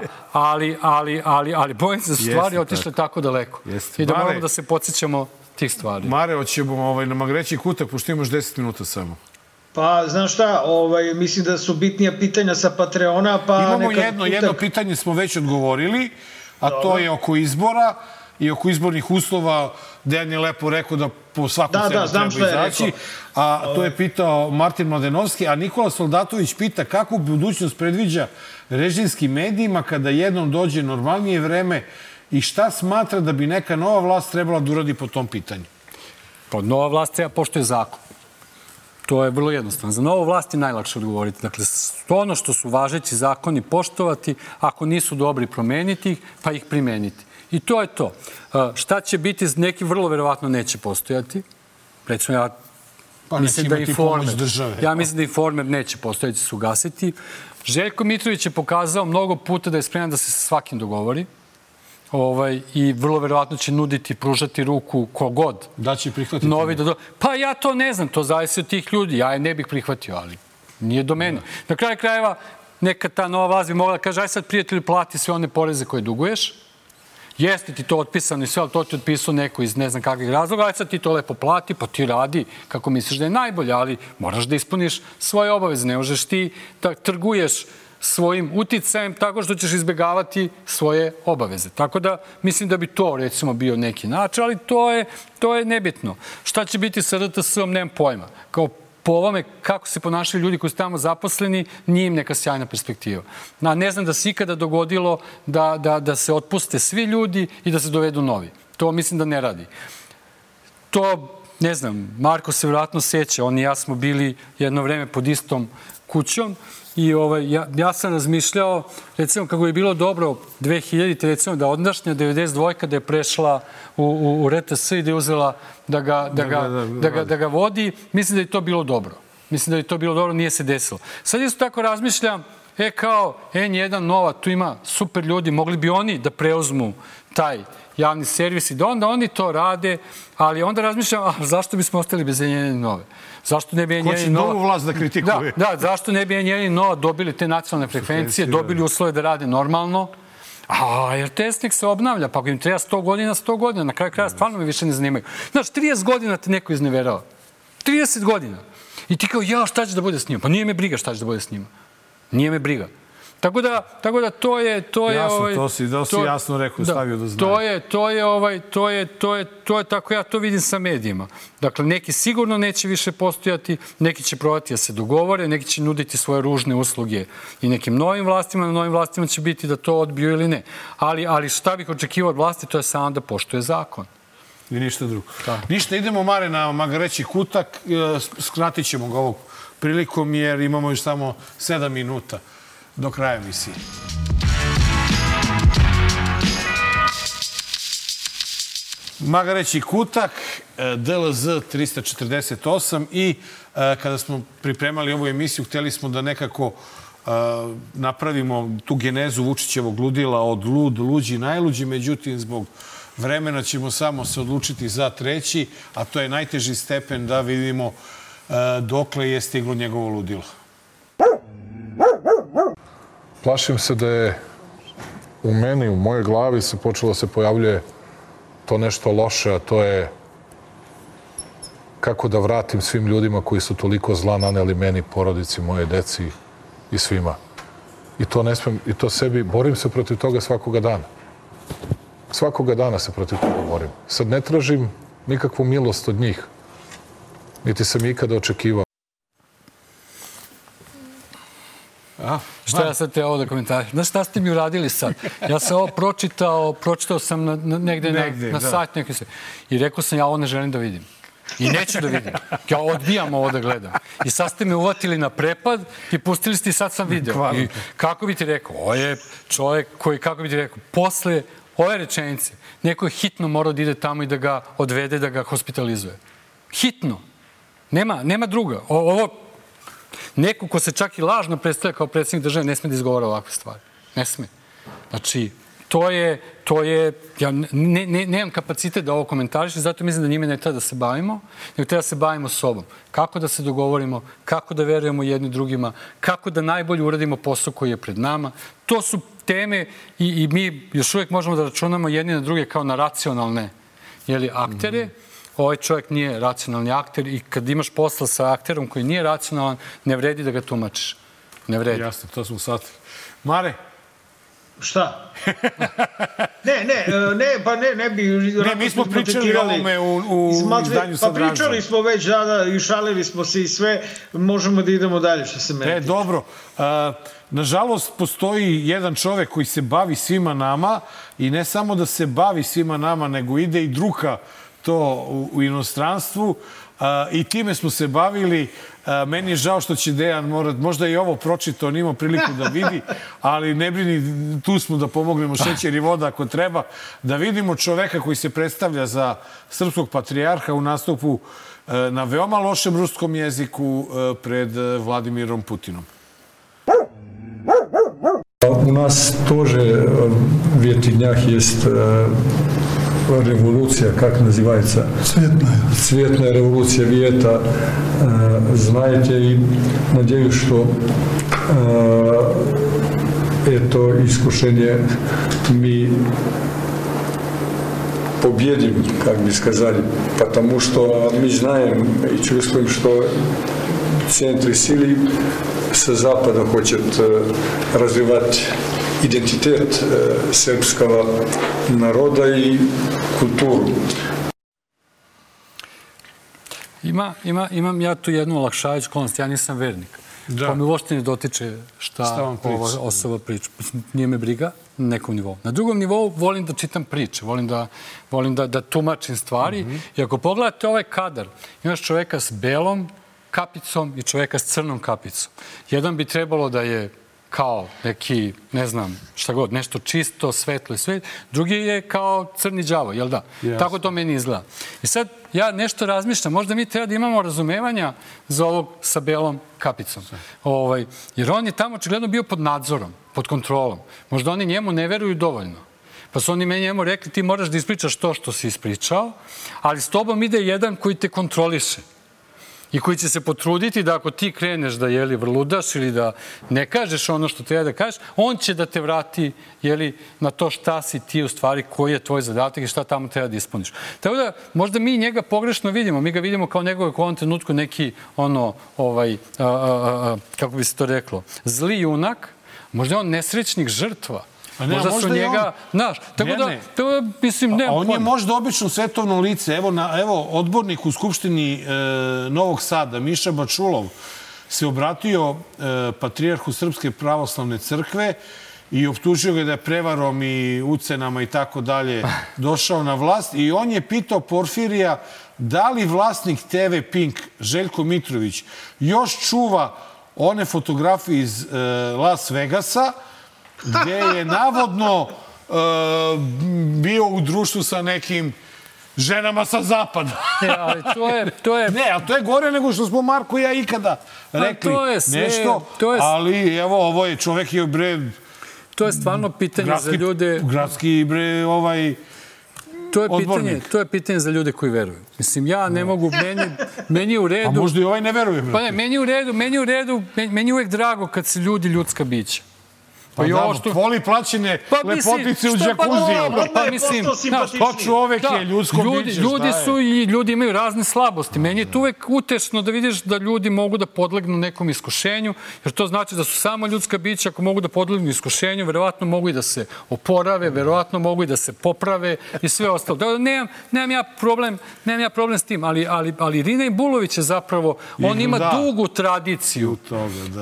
[SPEAKER 6] ali bojim se da su stvari otišle tako daleko. I da moramo da se podsjećamo tih stvari.
[SPEAKER 1] Mare, hoćemo na magreći kutak, pošto imaš 10 minuta samo.
[SPEAKER 2] Pa, znaš šta, mislim da su bitnija pitanja sa Patreona, pa...
[SPEAKER 1] Imamo jedno pitanje smo već odgovorili, a to je oko izbora i oko izbornih uslova. Dejan je lepo rekao da po svaku cenu treba izaći. A to je pitao Martin Mladenovski, a Nikola Soldatović pita kakvu budućnost predviđa režimskim medijima kada jednom dođe normalnije vreme i šta smatra da bi neka nova vlast trebala da uradi po tom pitanju?
[SPEAKER 6] Pa nova vlast treba poštuje zakon. To je vrlo jednostavno. Za novu vlast je najlakše odgovoriti. Dakle, ono što su važeći zakoni poštovati, ako nisu dobri promeniti ih, pa ih primeniti. I to je to. Šta će biti, neki vrlo verovatno neće postojati. Recimo, ja mislim da Informer neće postojati, će se ugasiti. Željko Mitrović je pokazao mnogo puta da je spreman da se sa svakim dogovori. I vrlo verovatno će nuditi, pružati ruku kogod.
[SPEAKER 1] Da će prihvatiti?
[SPEAKER 6] Pa ja to ne znam, to zavisi od tih ljudi. Ja je ne bih prihvatio, ali nije do mene. Na kraju krajeva, neka ta nova vlast bi mogla da kaže, aj sad prijatelju plati sve one poreze koje duguješ. Jeste ti to otpisano i sve, ali to ti otpisao neko iz ne znam kakvih razloga, aj sad ti to lepo plati, pa ti radi kako misliš da je najbolje, ali moraš da ispuniš svoje obaveze. Ne možeš ti da trguješ svojim uticajem tako što ćeš izbegavati svoje obaveze. Tako da mislim da bi to recimo bio neki način, ali to je nebitno. Šta će biti sa RTS-om, nemam pojma. Kao po ovome kako se ponašaju ljudi koji su tamo zaposleni, nije im neka sjajna perspektiva. Ne znam da se ikada dogodilo da se otpuste svi ljudi i da se dovedu novi. To mislim da ne radi. To, ne znam, Marko se vjerojatno seća, on i ja smo bili jedno vreme pod istom kućom i ja sam razmišljao, recimo kako je bilo dobro 2000, recimo da ondašnja 92 da je prešla u RTS i da je uzela da ga vodi, mislim da je to bilo dobro. Mislim da je to bilo dobro, nije se desilo. Sad isto tako razmišljam, kao N1 Nova, tu ima super ljudi, mogli bi oni da preuzmu taj javni servis i da onda oni to rade, ali onda razmišljam, zašto bismo ostali bez N1 i Nove? Zašto ne bi N1 i Nova...
[SPEAKER 1] Ko će novu vlast da kritikuje?
[SPEAKER 6] Da, zašto ne bi N1 i Nova dobili te nacionalne frekvencije, dobili uslove da rade normalno, a RTS nek se obnavlja, pa ako im treba 100 godina, 100 godina, na kraju kraja stvarno me više ne zanimaju. Znaš, 30 godina te neko izneverava. 30 godina. I ti kao, šta će da bude s njima? Pa nije me briga šta će da bude s njima. Nije me briga. Tako da to je...
[SPEAKER 1] Jasno, to si jasno rekao, stavio da znaju.
[SPEAKER 6] To je tako, ja to vidim sa medijima. Dakle, neki sigurno neće više postojati, neki će probati da se dogovore, neki će nuditi svoje ružne usluge i nekim novim vlastima, na novim vlastima će biti da to odbiju ili ne. Ali šta bih očekivao od vlasti, to je samo da poštuje zakon.
[SPEAKER 1] I ništa drugo. Ništa, idemo, Mare, na Magareći kutak. Skratit ćemo ga ovog prilikom jer imamo još samo 7 minuta do kraja emisije. Magareći kutak, DLZ 348 i kada smo pripremali ovu emisiju, htjeli smo da nekako napravimo tu genezu Vučićevog ludila od luđi, najluđi, međutim, zbog vremena ćemo samo se odlučiti za treći, a to je najteži stepen da vidimo dokle je stiglo njegovo ludilo.
[SPEAKER 5] Plašim se da je u meni, u mojoj glavi se počelo se pojavljuje to nešto loše, a to je kako da vratim svim ljudima koji su toliko zla naneli meni, porodici, moje deci i svima. I to ne smem, i to sebi, borim se protiv toga svakoga dana. Svakoga dana se protiv toga borim. Sad ne tražim nikakvu milost od njih, niti sam ikada očekivao.
[SPEAKER 6] Šta ja sad te ovo da komentarišem? Znaš šta ste mi uradili sad? Ja sam ovo pročitao sam negde na sajt neki se. I rekao sam, ja ovo ne želim da vidim. I neću da vidim. Ja odbijam ovo da gledam. I sad ste me uvatili na prepad i pustili ste i sad sam video. I kako bi ti rekao? Ovo je čovjek koji, kako bi ti rekao, posle ove rečenice, neko je hitno morao da ide tamo i da ga odvede, da ga hospitalizuje. Hitno. Nema druga. Ovo neko ko se čak i lažno predstavlja kao predsjednik države ne sme da izgovara ovakve stvari. Ne sme. Znači, to je, ja nemam kapacitet da ovo komentarišem, zato mislim da njime ne treba da se bavimo, nego treba da se bavimo sobom. Kako da se dogovorimo, kako da verujemo jedni drugima, kako da najbolje uradimo posao koji je pred nama. To su teme i mi još uvijek možemo da računamo jedni na druge kao na racionalne aktere. Ovaj čovjek nije racionalni akter i kad imaš posla sa akterom koji nije racionalan, ne vredi da ga tumačiš. Ne vredi.
[SPEAKER 1] Jasno, to smo shvatili. Mare?
[SPEAKER 2] Šta? Ne bi...
[SPEAKER 1] Ne, mi smo pričali o ovome u izdanju sa Dražom.
[SPEAKER 2] Pa pričali smo već, i šalili smo se i sve, možemo da idemo dalje što se meni tiče.
[SPEAKER 1] Dobro. Nažalost, postoji jedan čovek koji se bavi svima nama i ne samo da se bavi svima nama, nego ide i druka to u inostranstvu i time smo se bavili. Meni je žao što će Dejan možda i ovo pročitao, on imao priliku da vidi, ali ne brini, tu smo da pomognemo šećer i voda ako treba, da vidimo čoveka koji se predstavlja za srpskog patrijarha u nastupu na veoma lošem ruskom jeziku pred Vladimirom Putinom.
[SPEAKER 7] У нас тоже в этих днях есть революция, как называется? Цветная революция. Вы это знаете, и надеюсь, что это искушение мы победим, как бы сказали, потому что мы знаем и чувствуем, что центры силы с Запада хочет развивать идентитет српского народа и культуру.
[SPEAKER 6] Imam ja tu jednu olakšavajuću okolnost, ja nisam vernik. Pa mi uopšte ne dotiče šta ova osoba priča. Nije me briga na nekom nivou. Na drugom nivou volim da čitam priče, volim da tumačim stvari. I ako pogledate ovaj kadar, imaš čoveka s belom kapicom i čoveka s crnom kapicom. Jedan bi trebalo da je kao neki, ne znam, šta god, nešto čisto, svetlo i sve. Drugi je kao crni đavo, jel da? Tako to meni izgleda. I sad ja nešto razmišljam, možda mi treba da imamo razumevanja za ovog sa belom kapicom. Jer on je tamo očigledno bio pod nadzorom, pod kontrolom. Možda oni njemu ne veruju dovoljno. Pa su oni meni njemu rekli, ti moraš da ispričaš to što si ispričao, ali s tobom ide jedan koji te kontroliše i koji će se potruditi da ako ti kreneš da vrludaš ili da ne kažeš ono što treba da kažeš, on će da te vrati na to šta si ti u stvari, koji je tvoj zadatak i šta tamo treba da ispuniš. Tako da možda mi njega pogrešno vidimo. Mi ga vidimo kao nekog u ovom trenutku neki kako bi se to reklo, zli junak, možda je on nesrećnik žrtva. Možda su njega, znaš, tako da, mislim, nema pojma.
[SPEAKER 1] On je možda obično svetovno lice. Evo, odbornik u Skupštini Novog Sada, Miša Bačulov, se obratio patrijarhu Srpske pravoslavne crkve i optužio ga da je prevarom i ucenama i tako dalje došao na vlast. I on je pitao Porfirija da li vlasnik TV Pink, Željko Mitrović, još čuva one fotografije iz Las Vegasa, gde je navodno bio u društvu sa nekim ženama sa zapada.
[SPEAKER 6] Ali to je...
[SPEAKER 1] Ne, ali to je gore nego što smo Marko i ja ikada rekli nešto. Ali evo, ovo je čovek je bre...
[SPEAKER 6] To je stvarno pitanje za ljude...
[SPEAKER 1] Gradski bre, odbornik.
[SPEAKER 6] To je pitanje za ljude koji veruju. Mislim, ja ne mogu, meni je u redu...
[SPEAKER 1] A možda i ovaj ne veruje, brate.
[SPEAKER 6] Pa ne, meni je u redu, meni je uvek drago kad se ljudi ljudska bića.
[SPEAKER 1] Pa da, voli plaćene lepotice u džakuziju.
[SPEAKER 6] Pa mislim,
[SPEAKER 1] pa čovek je ljudsko biće.
[SPEAKER 6] Ljudi su i ljudi imaju razne slabosti. Meni je to uvek utešno da vidiš da ljudi mogu da podlegnu nekom iskušenju, jer to znači da su samo ljudska bića, ako mogu da podlegnu iskušenju, verovatno mogu i da se oporave, verovatno mogu i da se poprave i sve ostalo. Nemam ja problem s tim, ali Rina Bulović je zapravo, on ima dugu tradiciju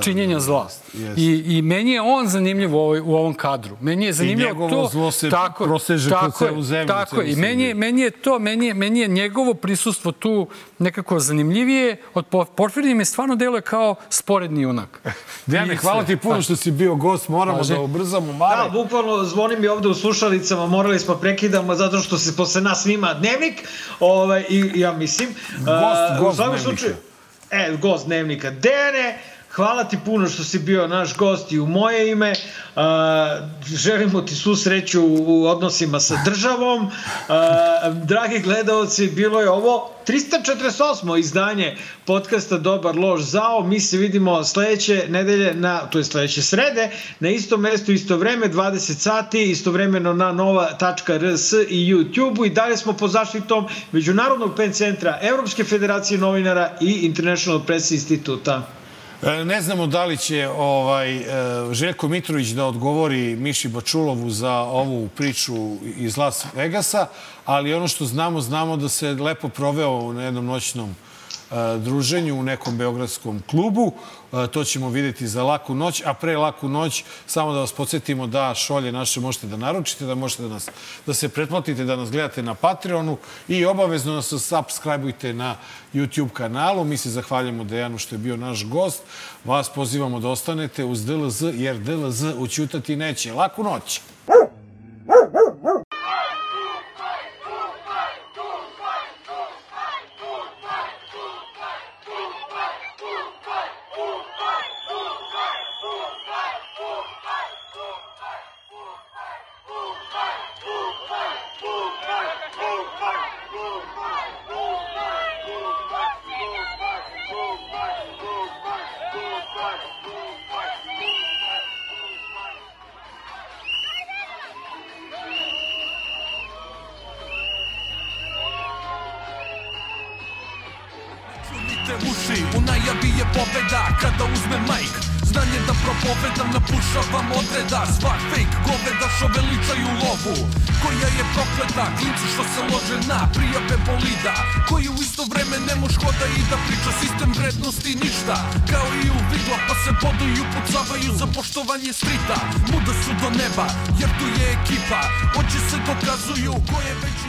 [SPEAKER 6] činjenja zla. I meni je on zanimljiv u ovom kadru. Meni je zanimljivo to...
[SPEAKER 1] I njegovo zlo se proseže kroz celu zemlju.
[SPEAKER 6] Tako je. I meni je njegovo prisustvo tu nekako zanimljivije. Od Porfirija mi stvarno deluje kao sporedni junak.
[SPEAKER 1] Dejane, hvala ti puno što si bio gost. Moramo da ubrzamo Mare.
[SPEAKER 2] Da, bukvalno zvoni mi ovde u slušalicama. Morali smo prekidamo zato što se posle nas snima dnevnik. I ja mislim...
[SPEAKER 1] Gost dnevnika.
[SPEAKER 2] Gost dnevnika. Dejane, hvala ti puno što si bio naš gost i u moje ime. Želimo ti svu sreću u odnosima sa državom. Dragi gledalci, bilo je ovo 348. izdanje podcasta Dobar loš zao. Mi se vidimo sledeće nedelje, to je sledeće srede, na istom mestu, isto vreme, 20 sati, istovremeno na nova.rs i YouTube-u. I dalje smo pod zaštitom Međunarodnog PEN centra, Evropske federacije novinara i International Press instituta.
[SPEAKER 1] Ne znamo da li će Željko Mitrović da odgovori Miši Bačulovu za ovu priču iz Las Vegasa, ali ono što znamo da se lepo proveo na jednom noćnom druženju u nekom beogradskom klubu. To ćemo vidjeti za Laku noć, a pre Laku noć samo da vas podsjetimo da šolje naše možete da naručite, da možete da se pretplatite, da nas gledate na Patreonu i obavezno nas subscribe-ujte na YouTube kanalu. Mi se zahvaljamo Dejanu što je bio naš gost. Vas pozivamo da ostanete uz DLZ, jer DLZ ućutati neće. Laku noć!
[SPEAKER 8] U najavi je pobeda kada uzme majk. Znanje da propovedam, napušavam odreda. Svak fake goveda što veličaju lovu, koja je prokleta, klincu što se lože na prijave bolida, koji u isto vreme ne moš hoda i da priča sistem vrednosti ništa. Kao i u vidla pa se boduju i upucavaju za poštovanje strita. Muda su do neba jer tu je ekipa, oči se dokazuju ko je veći